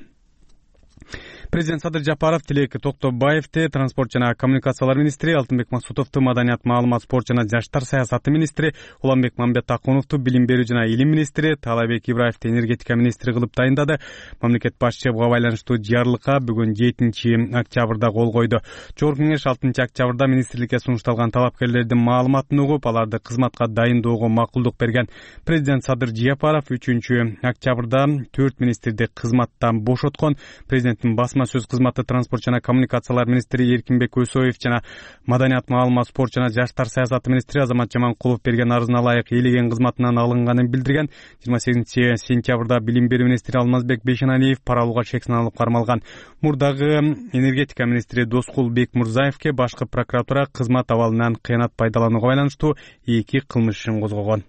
Президент Садыр Жапаров Тилек Токтобаевди транспорт жана коммуникациялар министри, Алтынбек Максутовду маданият, маалымат, спорт жана жаштар саясаты министри, Уланбек Мамбетакуновду билим берүү жана илим министри, Таалайбек Ибраевди энергетика министри кылып дайындады. Мамлекет башчы буга байланыштуу жарлыкка бүгүн 7-октябрда кол койду. Жогорку кеңеш 6-октябрда министрликке сунушталган талапкерлердин маалыматын угуп, аларды кызматка дайындоого макулдук берген. Президент Садыр Жапаров 3-октябрда 4 министрди кызматтан бошоткон. Президенттин басма сөз кызматы транспорт жана коммуникациялар министри Эркинбек Өсөев жана маданият, маалымат, спорт жана жаштар саясаты министри Азамат Жаманкулов берген арызына ылайык ээлеген кызматынан алынганын билдирген. 28-сентябрда билим берүү министри Алмазбек Бейшеналиев пара алууга шек саналып кармалган. Мурдагы энергетика министри Доскул Бекмурзаевке башкы прокуратура кызмат абалынан кыянат пайдаланууга байланыштуу 2 кылмыш ишин козгогон.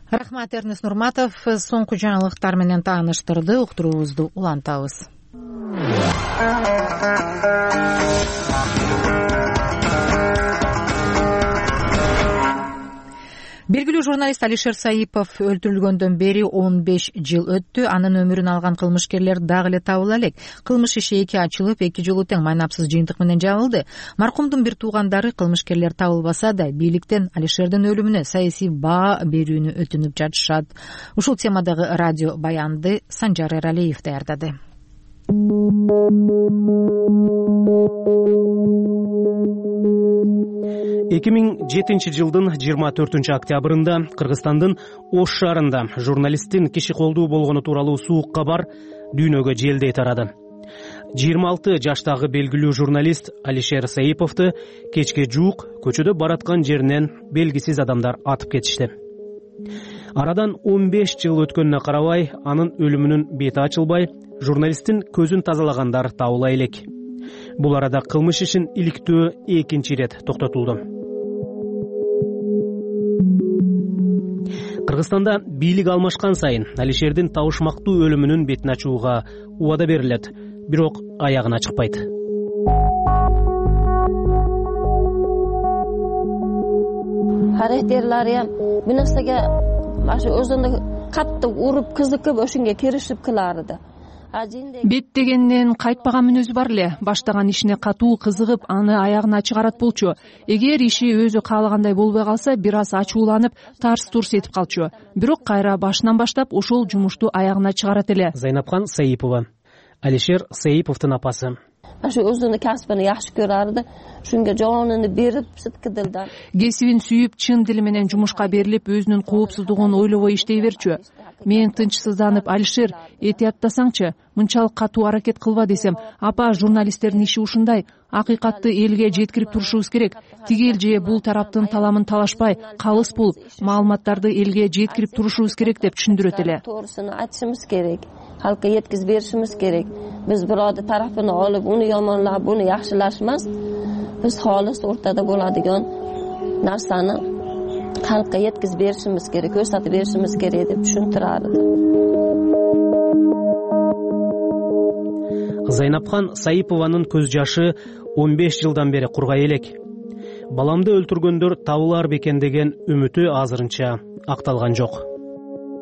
Рахмат, Эрнес Нурматов соңку жаңылыктар менен тааныштырды. Уктуруубузду улантабыз. Белгилүү журналист Алишер Саипов өлтүрүлгөндөн бери 15 жыл өттү. Анын өмүрүн алган кылмышкерлер дагы эле табыла элек. Кылмыш иши 2 ачылып, 2 жолу тең майнапсыз жыйынтык менен жабылды. Маркумдун бир туугандары кылмышкерлер табылбаса да, бийликтен Алишердин өлүмүнө саясий баа берүүнү өтүнүп жатышат. Ушул темадагы радио баянды Санжар Эралиев даярдады. жылдын 24 октябрында Кыргызстандын Ош шаарында журналисттин киши колдуу болгону тууралуу суук кабар дүйнөгө желдей тарады. 26 жаштагы белгилүү журналист Алишер Саиповду кечке жуук көчөдө бараткан жеринен белгисиз адамдар атып кетишти. Арадан 15 жыл өткөнүнө карабай, анын өлүмүнүн бети ачылбай, журналисттин көзүн тазалагандар табыла элек. Бул арада кылмыш ишин иликтөө экинчи ирет токтотулду. Кыргызстанда бийлик алмашкан сайын Алишердин табышмактуу өлүмүнүн бетин ачууга убада берилет, бирок аягына чыкпайт. Характерлери бир нерсеге өзүнө катты уруп кызыкып ошонго киришип кыларды. Бет дегенден кайтпаган мүнөзү бар эле. Баштаган ишине катуу кызыгып, аны аягына чыгарат болчу. Эгер иши өзү каалагандай болбой калса, бир аз ачууланып, тарс-турс этип калчу. Бирок кайра башынан баштап ошол жумушту аягына чыгарат эле. Зайнапкан Саипова, Алишер Саиповдун апасы. Ошо өзүнүн касыбын жакшы көрөрдү. Шунга жоонуну берип, сыткыдылды. Кесибин сүйүп, чын дили менен жумушка берилип, өзүнүн коопсуздугун ойлобой иштей берчү. Мен тынчсызданып, Алишер, этияттасаңчы, мынчалык катуу аракет кылба десем, апа, журналисттердин иши ушундай, акыйкатты элге жеткирип турушубуз керек. Тигил же бул тараптын таламын талашпай, калыс болуп, маалыматтарды элге жеткирип турушубуз керек деп түшүндүрөт эле. Тоорусун айтышыбыз керек. Халкка жеткизип беришибиз керек. Биз бирөөдүн тарафын алып, уну йомонлап, буну жакшылаш эмес. Биз холис ортада болadigan narsani халкка жеткизип беришибиз керек, көрсөтүп беришибиз керек деп түшүндүрөдү. Зайнапкан Саипованын көз жашы 15 жылдан бери кургай элек. Баламды өлтүргөндөр табылар бекен деген үмүтү азырынча акталган жок.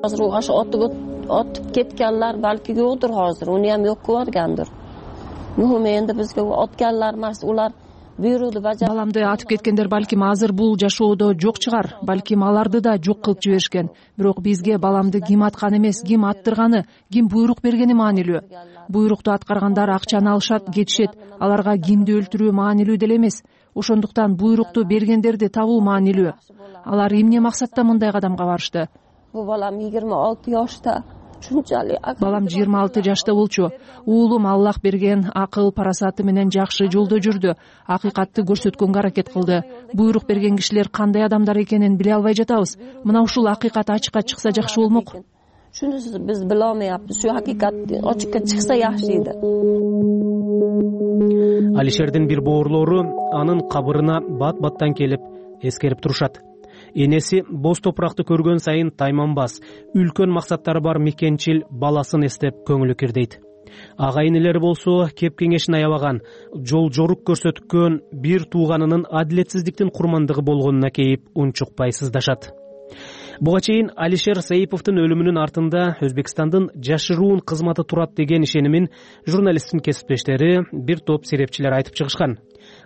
Азыр ошо отуп кеткенler балки жокдур азыр, уну ham жок көргөндүр. Мухим энди бизге отканlar эмес, улар буйруду бажа. Баламды атып кеткендер балким азыр бул жашоодо жок чыгар, балким аларды да жок кылып жиберишкен. Бирок бизге баламды ким аткан эмес, ким аттырганы, ким буйрук бергени маанилүү. Буйрукту аткаргандар акчаны алышат, кетишет. Аларга кимди өлтүрүү маанилүү деле эмес. Ошондуктан буйрукту бергендерди табуу маанилүү. Алар эмне максатта мындай кадамга барышты? Бу балам 26 жашта. Балам 26 жашта болчу. Уулум Аллах берген акыл, парасаты менен жакшы жолдо жүрдү. Акыйкатты көрсөткөнгө аракет кылды. Буйрук берген кишилер кандай адамдар экенин биле албай жатабыз. Мына ушул акыйкат ачыкка чыкса жакшы болмок. Шунусу биз биле алмайбыз. Şu акыйкат ачыкка чыкса жакшы эди. Алишердин бир боорлору анын кабырына бат-баттан келип эскерип турушат. Энеси боз топуракты көргөн сайын тайманбас, үлкөн максаттары бар мекенчил баласын эстеп көңүлү кирдейт. Агайынелери болсо кеп кеңешин аябаган, жол жорук көрсөткөн бир тууганынын адилетсиздиктин курмандыгы болгонуна кейип унчукпай сыздашат. Буга чейин Алишер Саиповдун өлүмүнүн артында Өзбекстандын жашыруун кызматы турат деген ишенимин журналисттин кесиптештери, бир топ серепчилер айтып чыгышкан.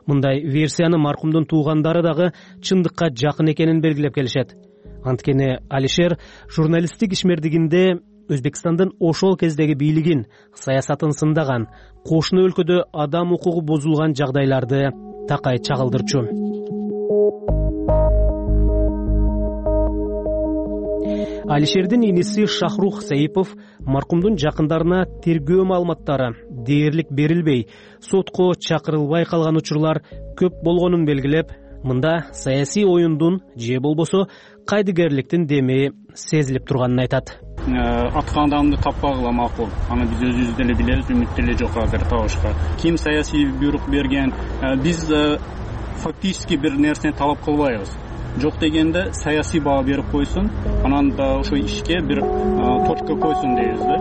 Мындай версияны маркумдун туугандары дагы чындыкка жакын экенин белгилеп келишет. Анткени Алишер журналисттик ишмердигинде Өзбекстандын ошол кездеги бийлигин, саясатын сындаган, кошуна өлкөдө адам укугу бузулган жагдайларды такай чагылдырчу. Алишердин иниси Шахрух Саипов маркумдун жакындарына тергөө маалыматтары дээрлик берилбей, сотко чакырылбай калган учурлар көп болгонун белгилеп, мында саясий оюндун же болбосо кайдыгерликтин деми сезилип турганын айтат. Аткан адамды таппагыла макул. Аны биз өзүбүз деле билебиз, үмүт деле жок азыр табышка. Ким саясий буйрук берген? Биз фактически бир нерсени талап кылбайбыз. Жок дегенде саясий баа берип койсун, анан да ошо ишке бир точка койсун дейбиз да.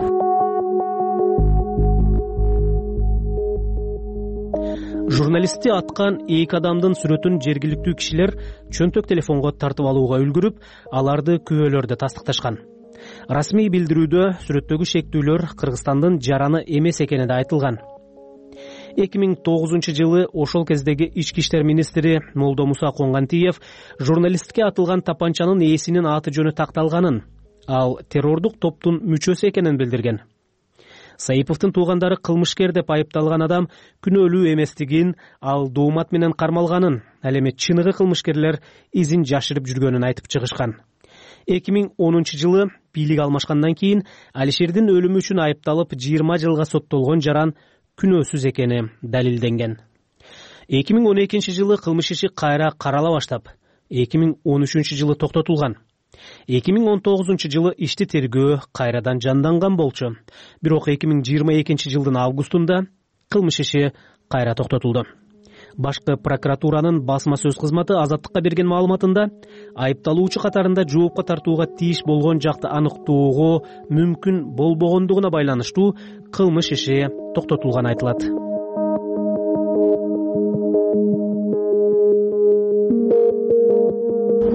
Журналистти аткан эки адамдын сүрөтүн жергиликтүү кишилер чөнтөк телефонго тартып алууга үлгүрүп, аларды күбөлөрдө тастыкташкан. Расмий билдирүүдө сүрөттөгү шектүүлөр Кыргызстандын жараны эмес экени да айтылган. 2009 жылы ошол кездеги ички иштер министри Молдомуса Конгантиев журналистке атылган тапанчанын ээсинин аты жөнү такталганын, ал террордук топтун мүчөсү экенин билдирген. Саиповдун туугандары кылмышкер деп айыпталган адам күнөөлүү эместигин, ал доомат менен кармалганын, ал эми чыныгы кылмышкерлер изин жашырып жүргөнүн айтып чыгышкан. 2010 жылы бийлик алмашкандан кийин Алишердин өлүмү үчүн айыпталып 20 жылга соттолгон жаран күнөөсүз экени далилденген. 2012 жылы кылмыш иши кайра карала баштап, 2013 жылы токтотулган. 2019 жылы ишти тергөө кайрадан жанданган болчу. Бирок 2022 жылдын августунда кылмыш иши кайра токтотулду. Башкы прокуратуранын басма сөз кызматы Азаттыкка берген маалыматында айыпталуучу катарында жоопко тартууга тийиш болгон жакты аныктоого мүмкүн болбогондугуна байланыштуу кылмыш иши токтотулганы айтылат.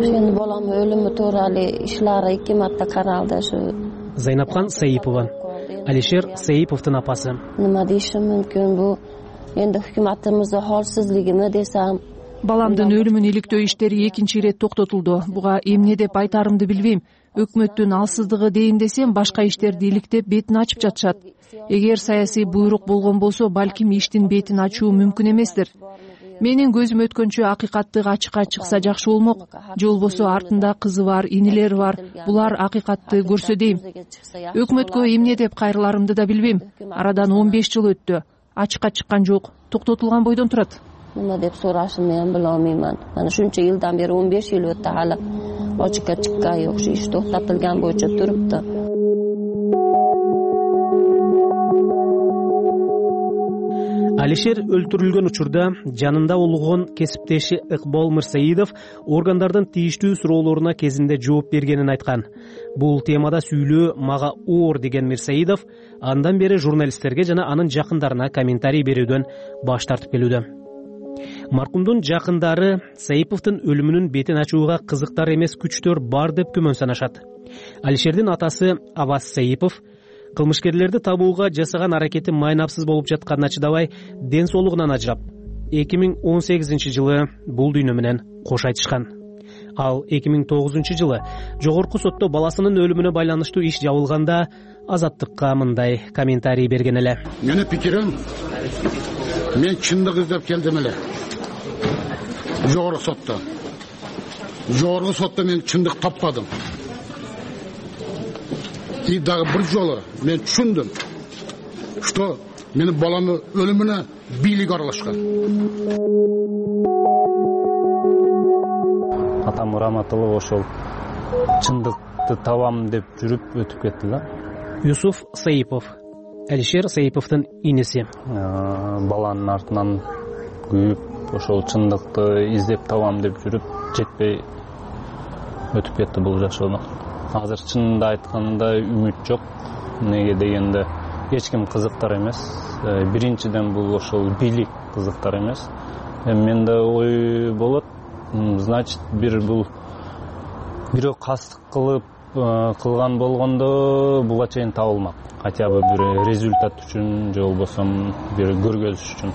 Endi bolam o'limi to'g'ri ishlari 2 marta qaraldi shu. Zaynabxon Saipova, Alisher Saipovdun apasi. Nima deyishim mumkin bu? Endi hukumatimizning holsizligimi desam, баламдын өлүмүн иликтөө иштери экинчи ирет токтотулду. Буга эмне деп айтарымды билбейм. Өкмөттүн алсыздыгы дейин десем, башка иштерди иликтеп бетин ачып жатышат. Эгер саясий буйрук болгон болсо, балким иштин бетин ачуу мүмкүн эместир. Менин көзүм өткөнчө акыйкаттык ачыкка чыкса жакшы болмок. Же болбосо артында кызы бар, инилери бар. Булар акыйкатты көрсө дейм. Өкмөткө эмне деп кайрыларымды да билбейм. Арадан 15 жыл өттү. Ачыкка чыккан жок, токтотулган бойдон турат. Nima deb so'rashimni ham bilolmayman. Mana shuncha yildan beri 15 yil o'tdi, hali ochiqqa chiqqan yo'q, shu ish to'xtatilgan bo'yicha turibdi. Алишер өлтүрүлгөн учурда жанында болгон кесиптеши Ыкбол Мырсаидов органдардын тийиштүү суроолоруна кезинде жооп бергенин айткан. Бул темада сүйлөө мага оор деген Мырсаидов андан бери журналисттерге жана анын жакындарына комментарий берүүдөн баш тартып келүүдө. Маркумдун жакындары Саиповдун өлүмүнүн бетин ачууга кызыктар эмес күчтөр бар деп күмөн санашат. Алишердин атасы Аваз Саипов кылмышкерлерди табууга жасаган аракети майнапсыз болуп жатканына чыдабай, ден соолугунан ажырап, 2018 жылы бул дүйнө менен кош айтышкан. Ал 2009 жылы жогорку сотто баласынын өлүмүнө байланыштуу иш жабылганда Азаттыкка мындай комментарий берген эле. Менин пикирим, мен чындык издеп келдим эле. Жогорку сотто мен чындык таппадым. И дагы бир жолу мен түшүндүм, что менин баламдын өлүмүнө бийлик аралашкан. Атам Раматылов ошол чындыкты табам деп жүрүп өтүп кетти да. Юсуф Саипов, Алишер Саиповдун иниси. Баланын артынан күйүп, ошол чындыкты издеп табам деп жүрүп, жетпей өтүп кетти бул жашоодон. Азыр чынында айтканда үмүт жок. Неге дегенде эч ким кызыктар эмес. Биринчиден бул ошол бийлик кызыктар эмес. Менде ой болот, значит, бирөө кастык кылган болгондо буга чейин табылмак. Хотя бы бир результат үчүн, же болбосо бир көргөзүш үчүн.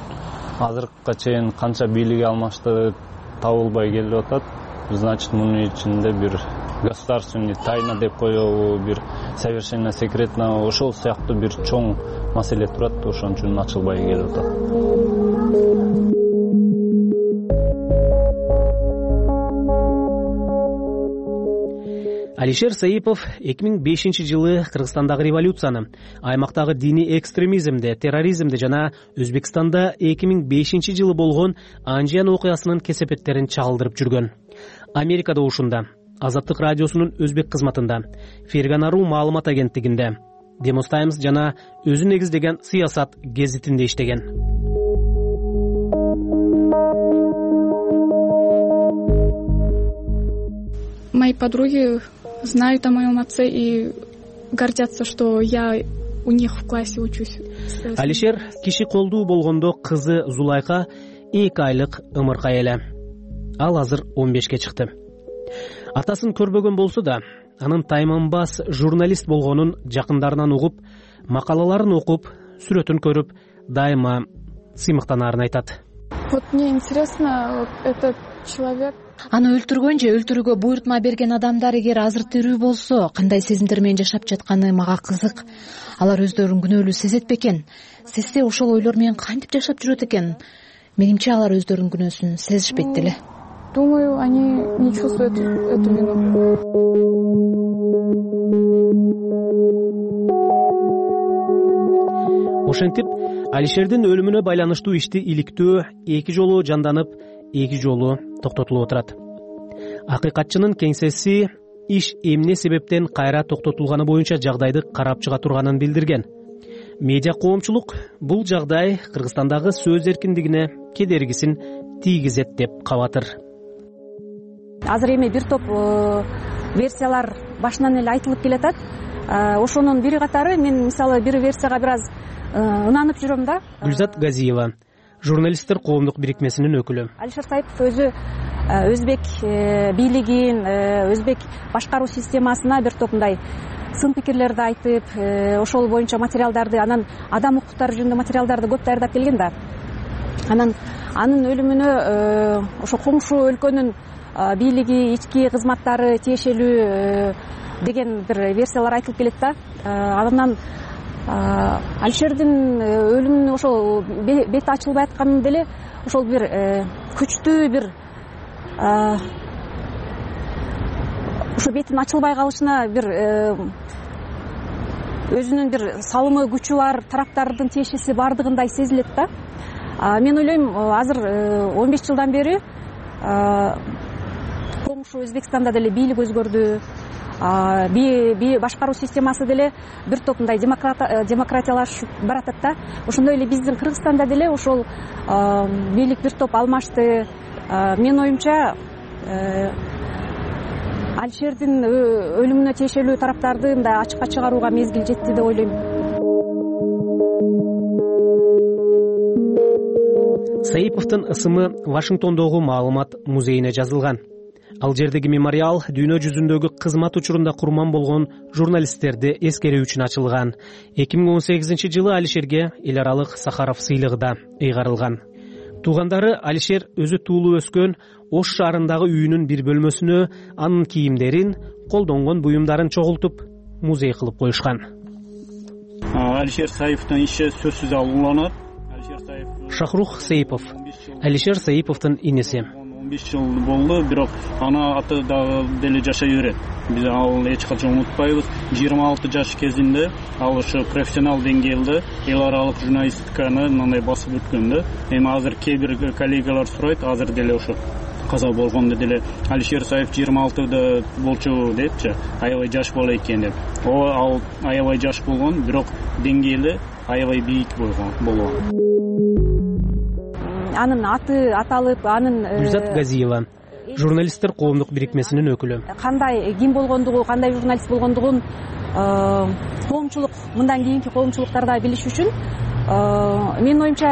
Азыркыга чейин канча бийлик алмашты табылбай келип атат. Значит, мунун ичинде бир государственный тайна деп коебу, бир совершенно секретно, ошол сыяктуу бир чоң маселе турат, ошон үчүн ачылбай келип атат. Алишер Саипов 2005 жылы Кыргызстандагы революцияны, аймактагы диний экстремизмди, терроризмди жана Өзбекстанда 2005 жылы болгон Анжиян окуясынын кесепеттерин чагылдырып жүргөн. Америкада ушунда, Азаттык радиосунун өзбек кызматында, Ферганару маалымат агенттигинде, Demos Times жана өзү негиздеген Сыясат гезитинде иштеген. Мои подруги знают о моем отце и гордятся, что я у них в классе учусь. Алишер киши колдуу болгондо кызы Зулайка 2 айлык ымыркай эле. Ал азыр 15ке чыкты. Атасын көрбөгөн болсо да, анын тайманбас журналист болгонун жакындарынан угуп, макалаларын окуп, сүрөтүн көрүп, дайыма сыймыктанаарын айтат. Вот мне интересно, вот этот человек. Аны өлтүргөн же өлтүрүүгө буйрутма берген адамдар эгер азыр тирүү болсо кандай сезимдер менен жашап жатканы мага кызык. Алар өздөрүн күнөөлүү сезет бекен? Сезсе ошол ойлор менен кантип жашап жүрөт экен? Менимче алар өздөрүнүн күнөөсүн сезишпейт деле. Думаю, они не чувствуют эту вину. Ошентип, Алишердин өлүмүнө байланыштуу ишти иликтөө 2 жолу жанданып, 2 жолу токтотулуп отурат. Акыйкатчынын кеңсеси иш эмне себептен кайра токтотулганы боюнча жагдайды карап чыга турганын билдирген. Медиа коомчулук бул жагдай Кыргызстандагы сөз эркиндигине кедергисин тийгизет деп кабатыр. Азыр эми бир топ версиялар башынан эле айтылып келатат. Ошонун бири катары мен мисалы бир версияга бир аз ынанып жүрөм да. Гүлзат Газиева, журналисттер коомдук бирикмесинин өкүлү. Алишер Саипов өзү өзбек бийлигин, өзбек башкаруу системасына бир топ мындай сын пикирлерди айтып, ошол боюнча материалдарды, анан адам укуктары жөнүндө материалдарды көп даярдап келген да. Анан анын өлүмүнө ошо коңшу өлкөнүн бийлиги, ички кызматтары тиешелүү деген бир версиялар айтылып келет да. Анан Алишердин өлүмүнүн ошол бети ачылбай атканы деле ошол бир күчтүү бир ошо бетин ачылбай калышына бир өзүнүн бир салымы күчү бар тараптардын тиешеси бардыгындай сезилет да. Мен ойлойм, азыр 15 жылдан бери коңшу Өзбекстанда деле бийлик өзгөрдү. Башкаруу системасы деле бир топ мындай демократиялашып баратат да. Ошондой эле биздин Кыргызстанда деле ошол бийлик бир топ алмашты. Мен оюмча Алишердин өлүмүнө тиешелүү тараптарды мындай ачыкка чыгарууга мезгил жетти деп ойлойм. Саиповдун ысымы Вашингтондогу маалымат музейине жазылган. Ал жердеги мемориал дүйнө жүзүндөгү кызмат учурунда курман болгон журналисттерди эскерүү үчүн ачылган. 2018-жылы Алишерге эл аралык Сахаров сыйлыгы да ыйгарылган. Туугандары Алишер өзү туулуп өскөн Ош шаарындагы үйүнүн бир бөлмөсүнө анын кийимдерин, колдонгон буюмдарын чогултуп, музей кылып коюшкан. Алишер Саиповдун иши сөзсүз уланат. Шахрух Саипов, Алишер Саиповдун инеси. 15 жыл болду, бирок аны аты дагы деле жашай берет. Биз ал эч качан унутпайбыз. 26 жаш кезинде ал ошо профессионал деңгээлде эл аралык журналистиканы мындай басып өткөн да. Эми азыр кээ бир коллегалар сурайт, азыр деле ошо каза болгондо деле Алишер Саипов 26-да болчу депчи, аябай жаш бала экен деп. Ал аябай жаш болгон, бирок деңгээли аябай бийик болгон. Анын аты аталып, анын Гүлзат Газиева, журналисттер коомдук бирикмесинин өкүлү. Кандай ким болгондугу, кандай журналист болгондугун коомчулук, мындан кийинки коомчулуктарда билиш үчүн менин оюмча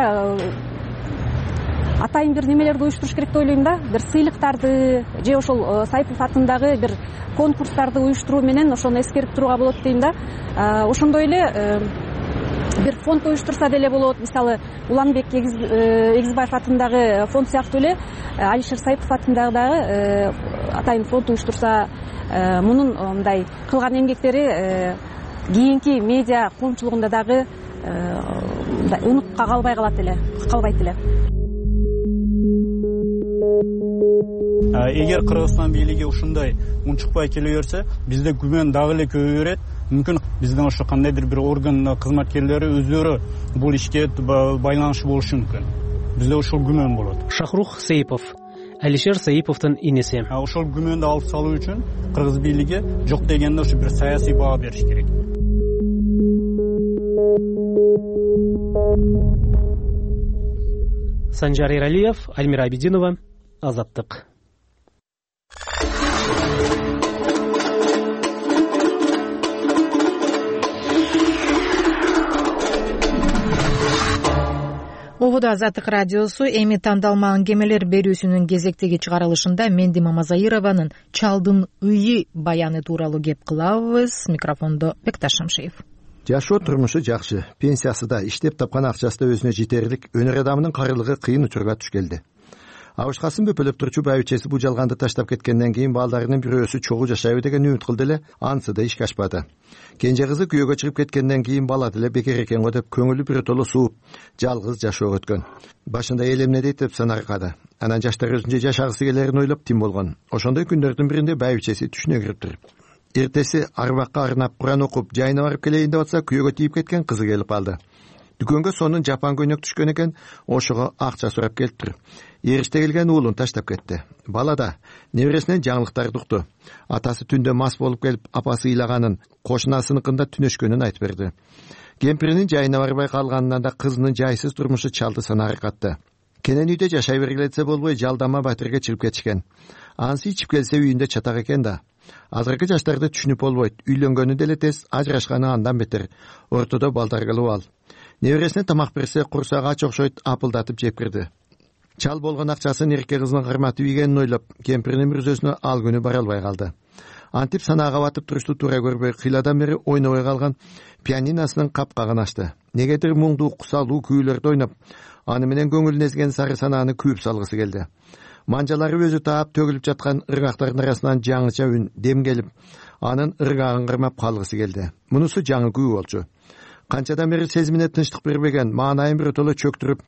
атайын бир немелерди уюштуруш керек деп ойлойм да. Бир сыйлыктарды же ошол Саипов атындагы бир конкурстарды уюштуруу менен ошону эскерип турууга болот дейм да. Ошондой эле бир фонд уюштурса деле болот. Мисалы, Уланбек Эгизбаев атындагы фонд сыяктуу эле Алишер Саипов атындагы дагы атайын фонд уюштурса, мунун мындай кылган эмгектери кийинки медиа коомчулугунда дагы унутка калбайт эле. Эгер Кыргызстан бийлиги ушундай унчукпай келе берсе, бизде күмөн дагы эле көбөйө берет. Мүмкүн биздин ошо кандайдыр бир орган кызматкерлери өздөрү бул ишке байланышы болушу мүмкүн. Бизде ошол күмөн болот. Шахрух Саипов, Алишер Саиповдун инеси. Ошол күмөндү алып салуу үчүн кыргыз бийлиги жок дегенде ошо бир саясий баа бериш керек. Санжар Эралиев, Альмира Абидинова, Азаттык. Ободо Азаттык радиосу эми тандалма аңгемелер берүүсүнүн кезектеги чыгарылышында Менди Мамазаированын «Чалдын ыйы» баяны тууралуу кеп кылабыз. Микрофондо Бекташ Шамшиев. жашоо турмушу жакшы, пенсиясы да, иштеп тапкан акчасы да өзүнө жетерлик. Өнөр адамынын карылыгы кыйын учурга туш келди. Абышкасын бөпөлөп турчу байбичеси бул жалганды таштап кеткенден кийин балдарынын бирөөсү чогуу жашайбы деген үмүт кылды эле, анысы да ишке ашпады. Кенже кызы күйөөгө чыгып кеткенден кийин бала деле бекер экен го деп көңүлү биротоло сууп, жалгыз жашоо өткөн. Башында эл эмне дейт деп санаркады. Анан жаштар өзүнчө жашагысы келерин ойлоп тим болгон. Ошондой күндөрдүн биринде байбичеси түшүнө кириптир. Эртеси арбакка арнап Куран окуп, жайына барып келейин деп атса, күйөөгө тийип кеткен кызы келип калды. Дүкөнгө сонун жапан көйнөк түшкөн экен, ошого акча сурап келиптир. Эриште келген уулун таштап кетти. Бала да небересинен жаңылыктарды укту. Атасы түндө мас болуп келип, апасы ыйлаганын, кошунасыныкында түнөшкөнүн айтып берди. Кемпиринин жайына барбай калганынан да кызынын жайсыз турмушу чалды санаары катты. Кенен үйдө жашай бергиле десе болбой, жалдама батирге чыгып кетишкен. Анысы ичип келсе үйүндө чатак экен да. Азыркы жаштарды түшүнүп болбойт. Үйлөнгөнү деле тез, ажырашканы андан бетер. Ортодо балдар кылып ал. Небересине тамак берсе, курсак ач окшойт, апылдатып жеп кирди. Чал болгон акчасын эрке кызынын кырматып ийгенин ойлоп, кемпиринин мүрзөсүнө ал күнү бара албай калды. Антип санаага батып турушту туура көрбөй, кыйладан бери ойнобой калган пианиносунун капкагын ачты. Негедир муңдуу, кусалуу күүлөрдү ойноп, аны менен көңүлүн эзген сары санааны күйүп салгысы келди. Манжалары өзү таап төгүлүп жаткан ыргактардын арасынан жаңыча үн, дем келип, анын ыргагын кырмап калгысы келди. Мунусу жаңы күү болчу. Канчадан бери сезимине тынчтык бербеген, маанайын биротоло чөктүрүп,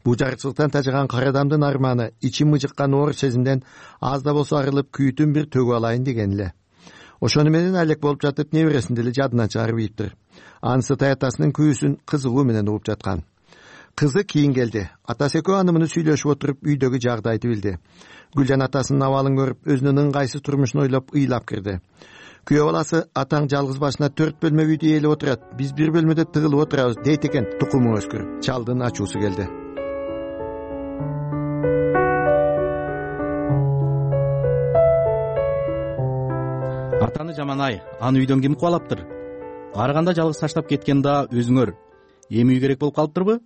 бужарчылыктан тажыган кара адамдын арманы, ичим мыжыккан оор сезимден аз да болсо арылып, күйүтүн бир төгүп алайын деген эле. Ошону менен алек болуп жатып, небересин деле жадынан чыгарып ийиптир. Анысы таятасынын күүсүн кызыгуу менен угуп жаткан. Кызы кийин келди. Атасы экөө аны муну сүйлөшүп отуруп, үйдөгү жагдайды билди. Гүлжан атасынын абалын көрүп, өзүнүн ыңгайсыз турмушун ойлоп, ыйлап кирди. Күйөө баласы, атаң жалгыз башына 4 бөлмө үйдө ээлеп отурат. Биз бир бөлмөдө тыгылып отурабыз дейт экен, тукуму өскүр. Чалдын ачуусу келди. Атаны жаман-ай, аны үйдөн ким кубалаптыр? Караганда жалгыз таштап кеткен да өзүңөр. Эми үй керек болуп калыптырбы?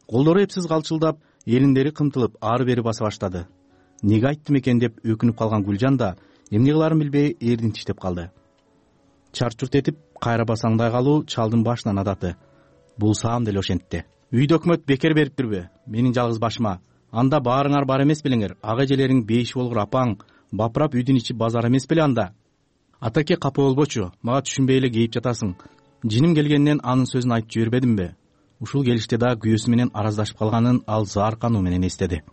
Колдору эпсиз калчылдап, элиндери кымтылып, ары-бери баса баштады. Неге айттым экен деп өкүнүп калган Гүлжан да эмне кыларын билбей эрдин тиштеп калды. Чарчурт этип, кайра басаңдай калуу чалдын башынан адаты. Булсам деле ошентти. Үйдө өкмөт бекер бериптирби? Менин жалгыз башыма. Анда баарыңар бар эмес белеңер. Ага эжелериң бейиш болгур апаң, бапырап үйдүн ичи базар эмес беле анда? Атаке капа болбочу, мага түшүнбөй эле кейип жатасың. Жиним келгенден анын сөзүн айтып жибербедимби? Ушул келиште да күйөөсү менен араздашып калганын ал заар кануу менен эстеди.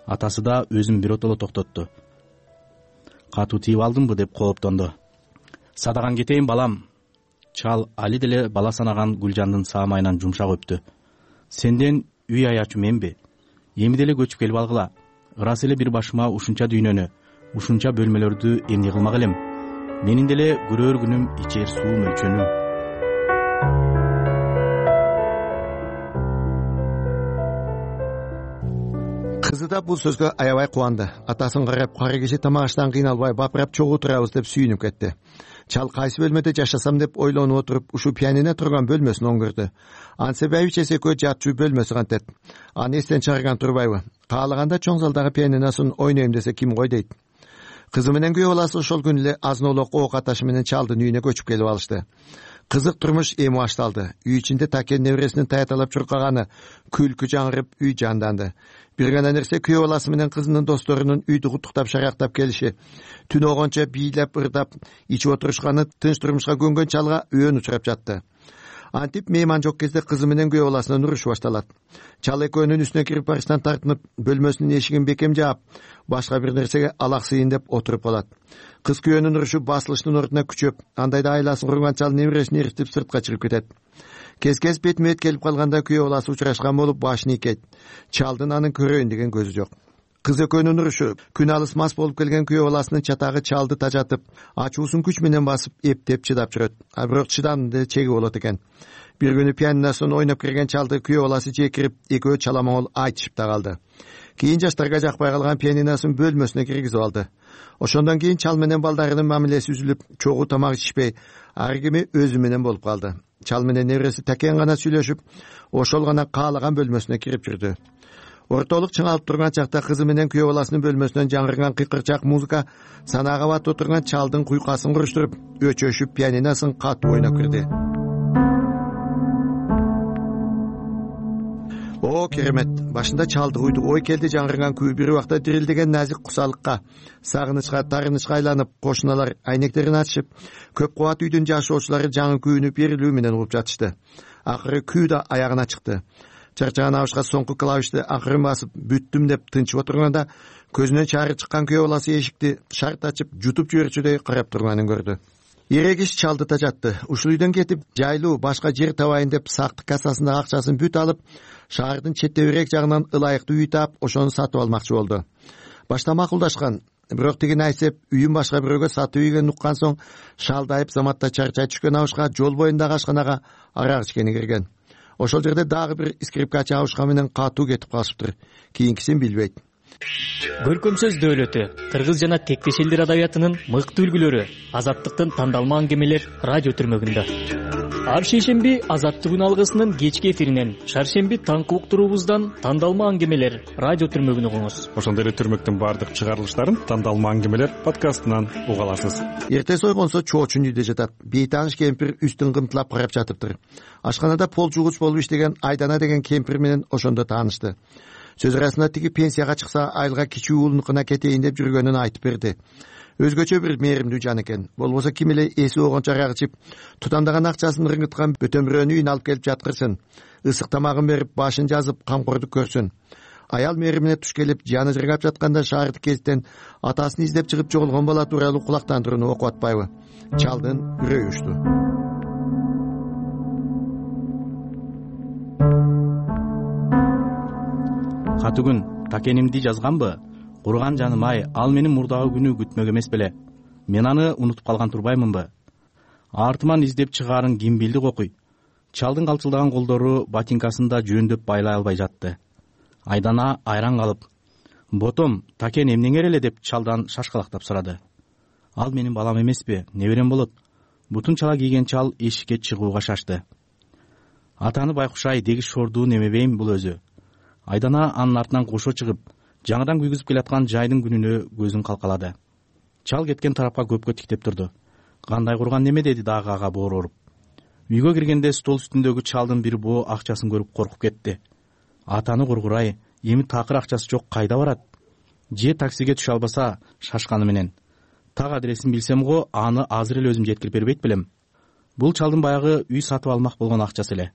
Атасы да өзүн биротоло токтотту. Катуу тийип алдымбы деп кооптонду. Садаган кетейин балам. Чал али деле бала санаган Гүлжандын саамайынан жумшак өптү. Сенден үй аячу менби? Эми деле көчүп келип алгыла. Ырас эле бир башыма ушунча дүйнөнү, ушунча бөлмөлөрдү эмне кылмак элем? Менин деле көрөр күнүм ичер суу мөлчөнүм. Кызы да бул сөзгө аябай кубанды. Атасын карап, кара киши тамак аштан кыйналбай бапырап чогуу турабыз деп сүйүнүп кетти. Чал кайсы бөлмөдө жашасам деп ойлонуп отуруп, ушу пианино турган бөлмөсүн оңгөрдү. Ансы байбичеси экөө жатчу бөлмөсү кантет. Аны эстен чыгарган турбайбы? Каалаганда чоң залдагы пианиносун ойнойм десе ким кой дейт. Кызы менен күйөө баласы ошол күнү эле азын-олок ок аташы менен чалдын үйүнө көчүп келип алышты. Кызык турмуш эми башталды. Үй ичинде Такен небересинин таяталап чуркаганы, күлкү жаңырып, үй жанданды. Бир гана нерсе күйөө баласы менен кызынын досторунун үйдү куттуктап шарактап келиши, түн огончо бийлеп ырдап ичип отурушканы тынч турмушка көнгөн чалга өөн учурап жатты. Антип мейман жок кезде кызы менен күйөө баласынын урушу башталат. Чал экөөнүн үстүнө кирип барыштан тартынып, бөлмөсүнүн эшигин бекем жаап, башка бир нерсеге алаксыйын деп отуруп калат. Кыз күйөөнүн урушу басылыштын ордуна күчөп, андайда айласын курган чал небересин эритип сыртка чыгып кетет. Кез-кез бетме-бет келип калганда күйөө баласы учурашкан болуп башын ийкейт. Чалдын анын көрөйүн деген көзү жок. Кыз экөөнүн урушу күн алыс мас болуп келген күйөө баласынын чатагы чалды тажатып, ачуусун күч менен басып, эптеп чыдап жүрөт. А бирок чыдамдын чеги болот экен. Бир күнү пианиносун ойноп кирген чалды күйөө баласы жекирип, экөө чаламоңол айтышып да калды. Кийин жаштарга жакпай калган пианиносун бөлмөсүнө киргизип алды. Ошондон кийин чал менен балдарынын мамилеси үзүлүп, чогуу тамак ичишпей, ар кими өзү менен болуп калды. Чал менен небереси Такен гана сүйлөшүп, ошол гана каалаган бөлмөсүнө кирип жүрдү. Ортолук чыңалып турган чакта кызы менен күйөө баласынын бөлмөсүнөн жаңырган кыйкырчак музыка санаага батып отурган чалдын куйкасын куруштуруп, өчөшүп пианиносун катуу ойноп кирди. О, керемет. Башында чалды уйду ой келди жаңырган күү бир убакта дирилдеген назик кусалыкка, сагынычка, тарынычка айланып, кошуналар айнектерин ачышып, көп кубат үйдүн жашоочулары жаңы күүнү берилүү менен угуп жатышты. Акыры күү да аягына чыкты. Чарчаган абышка соңку клавишти акырын басып бүттүм деп тынчып отурганда көзүнөн чаары чыккан күйөө баласы эшикти шарт ачып жутуп жиберчүдөй карап турганын көрдү. Эрегиш чалды да жатты. Ушул үйдөн кетип жайлуу башка жер табайын деп сактык кассасындагы акчасын бүт алып, шаардын четтебирээк жагынан ылайыктуу үй таап, ошону сатып алмакчы болду. Башта макулдашкан, бирок тигин айтсеп, үйүн башка бирөөгө сатып ийгенин уккан соң шалдайып заматта чарчай түшкөн абышка жол боюндагы ашканага арак ичкени кирген. Ошол жерде дагы бир скрипкачы абышка менен катуу кетип калышыптыр. Кийинкисин билбейт. Көркөм сөз дөөлөтү, кыргыз жана тектеш элдер адабиятынын мыкты үлгүлөрү, Азаттыктын тандалма аңгемелер радио түрмөгүндө. Ар шейшемби Азаттык алгысынын кечки эфиринен, шаршемби таңкы уктуруубуздан тандалма аңгемелер радио түрмөгүн угуңуз. Ошондой эле түрмөктүн баардык чыгарылыштарын тандалма аңгемелер подкастынан уга аласыз. Эртеси ойгонсо чоочун үйдө жатат. Бейтааныш кемпир үстүн кымтылап карап жатыптыр. Ашканада пол жугуч болуп иштеген Айдана деген кемпир менен ошондо таанышты. Сөз арасында тиги пенсияга чыкса айылга кичүү уулунукуна кетейин деп жүргөнүн айтып берди. Өзгөчө бир мээримдүү жан экен. Болбосо ким эле эси болгончо арак ичип, тутамдаган акчасын ыргыткан бөтөмбүрөнү үйүнө алып келип жаткырсын. Ысык тамагын берип, башын жазып, камкордук көрсүн. Аял мээримине туш келип, жаны жыргап жатканда шаардык кезиттен атасын издеп чыгып жоголгон бала тууралуу кулактандырууну окуп атпайбы? Чалдын үрөйү учту. Катүгүн такенимди жазганбы? Курган жаным ай, ал менин мурдагы күнү күтмөк эмес беле. Мен аны унутуп калган турбаймынбы? Артыман издеп чыгаарын ким билди кокуй. Чалдын калчылдаган колдору ботинкасында жөндөп байлай албай жатты. Айдана айран калып, "Ботом, такен эмнеңер эле?" деп чалдан шашкалактап сурады. "Ал менин балам эмеспи, неберем болот." Бутун чала кийген чал эшикке чыгууга шашты. "Атаны байкуш-ай, дегиш шордуу немебейм бул өзү." Айдана анын артынан кошо чыгып, жаңыдан күйгүзүп келаткан жайдын күнүнө көзүн калкалады. Чал кеткен тарапка көпкө тиктеп турду. "Кандай курган неме?" деди дагы ага боору уруп. Үйгө киргенде стол үстүндөгү чалдын бир боо акчасын көрүп коркуп кетти. "Атаны кургурай, эми такыр акчасы жок кайда барат?" Же таксиге түшө албаса шашканы менен. "Так адресин билсем го, аны азыр эле өзүм жеткирип бербейт белем." Бул чалдын баягы үй сатып алмак болгон акчасы эле.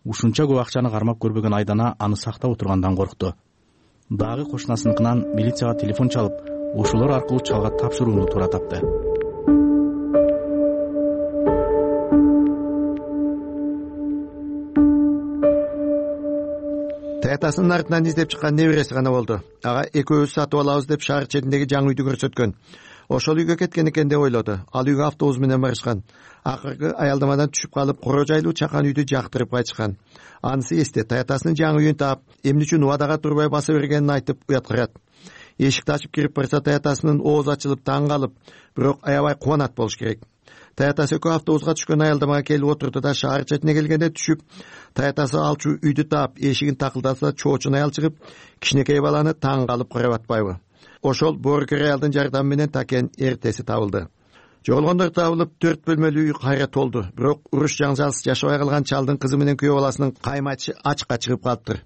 Ушунча көп акчаны кармап көрбөгөн Айдана аны сактап отургандан коркту. Дагы кошунасыныкынан милицияга телефон чалып, ошолор аркылуу чалга тапшырууну туура тапты. Таятасынын артынан издеп чыккан небереси гана болду. Ага экөөбүз сатып алабыз деп шаар четиндеги жаңы үйдү көрсөткөн. Ошол үйгө кеткен экен деп ойлоду. Ал үйгө автобус менен барышкан. Акыркы аялдамадан түшүп калып, коро жайлуу чакан үйдү жактырып кайтышкан. Анысы эсте, таятасынын жаңы үйүн таап, эмне үчүн убадага турбай баса бергенин айтып уяткырат. Эшикти ачып кирип барса, таятасынын оозу ачылып таң калып, бирок аябай кубанат болуш керек. Таятасы экөө автобуска түшкөн аялдамага келип отурду да шаар четине келгенде түшүп, таятасы алчу үйдү таап, эшигин такылдаса чоочун аял чыгып, кичинекей баланы таң калып карап атпайбы? Ошол боорукер аялдын жардамы менен такен эртеси табылды. Жоголгондор табылып, 4 бөлмөлүү үй кайра толду. Бирок уруш жаңжалсыз жашабай калган чалдын кызы менен күйөө баласынын каймачы ачка чыгып калыптыр.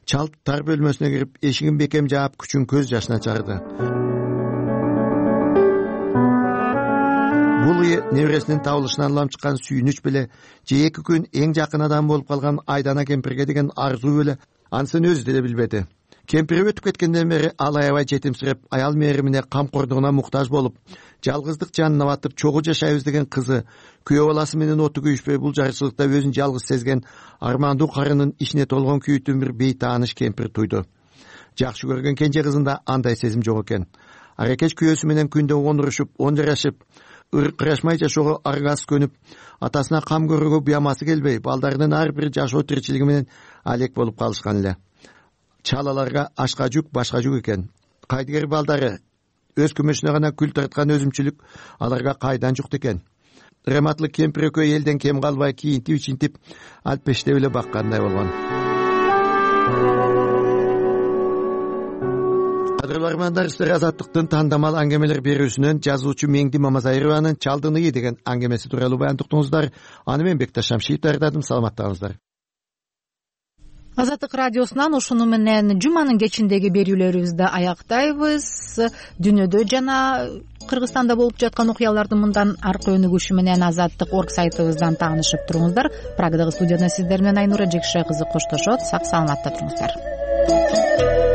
Чал тар бөлмөсүнө кирип, эшигин бекем жаап, күчүн көз жашына чарды. Бул небересинин табылышынан улам чыккан сүйүнүч беле, же 2 күн эң жакын адам болуп калган Айдана кемпирге деген арзуу беле, анысын өзү деле билбеди. Кемпири өтүп кеткенден бери ал аябай жетимсиреп, аял мээримине камкордугуна муктаж болуп, жалгыздык жанына батып чогуу жашайбыз деген кызы, күйөө баласы менен оту күйүшпөй бул жарчылыкта өзүн жалгыз сезген армандуу карынын ичине толгон күйүүтүн бир бейтааныш кемпир туйду. Жакшы көргөн кенже кызында андай сезим жок экен. Аракеч күйөөсү менен күндө онурушуп, онжарашып, ыркырашмай жашоого аргасы көнүп, атасына кам көрүүгө буямасы келбей, балдарынын ар бир жашоо тиричилиги менен алек болуп калышкан эле. Чалаларга ашка жүк, башка жүк экен. Кайдыгер балдары өз күмөшүнө гана күл тарткан өзүмчүлүк аларга кайдан жукт экен. Рематлык кемпир экөө элден кем калбай кийинтип-ичинтип алпештеп эле баккандай болгон. Кадырлуу армандар, сиздер Азаттыктын тандамал аңгемелер берүүсүнөн жазуучу Меңди Мамазайрованын Чалдын ыы деген аңгемеси тууралуу баян уктуңуздар. Аны мен Бекташ Шамшиев даярдадым. Саламатта болуңуздар. Азаттык радиосунан ушуну менен жуманын кечиндеги берүүлөрүбүздү аяктайбыз. Дүйнөдө жана Кыргызстанда болуп жаткан окуялардын мындан аркы өнүгүшү менен Азаттык.org сайтыбыздан таанышып туруңуздар. Прагдагы студияда сиздер менен Айнура Жекше кызы коштошот. Сак саламатта туруңуздар.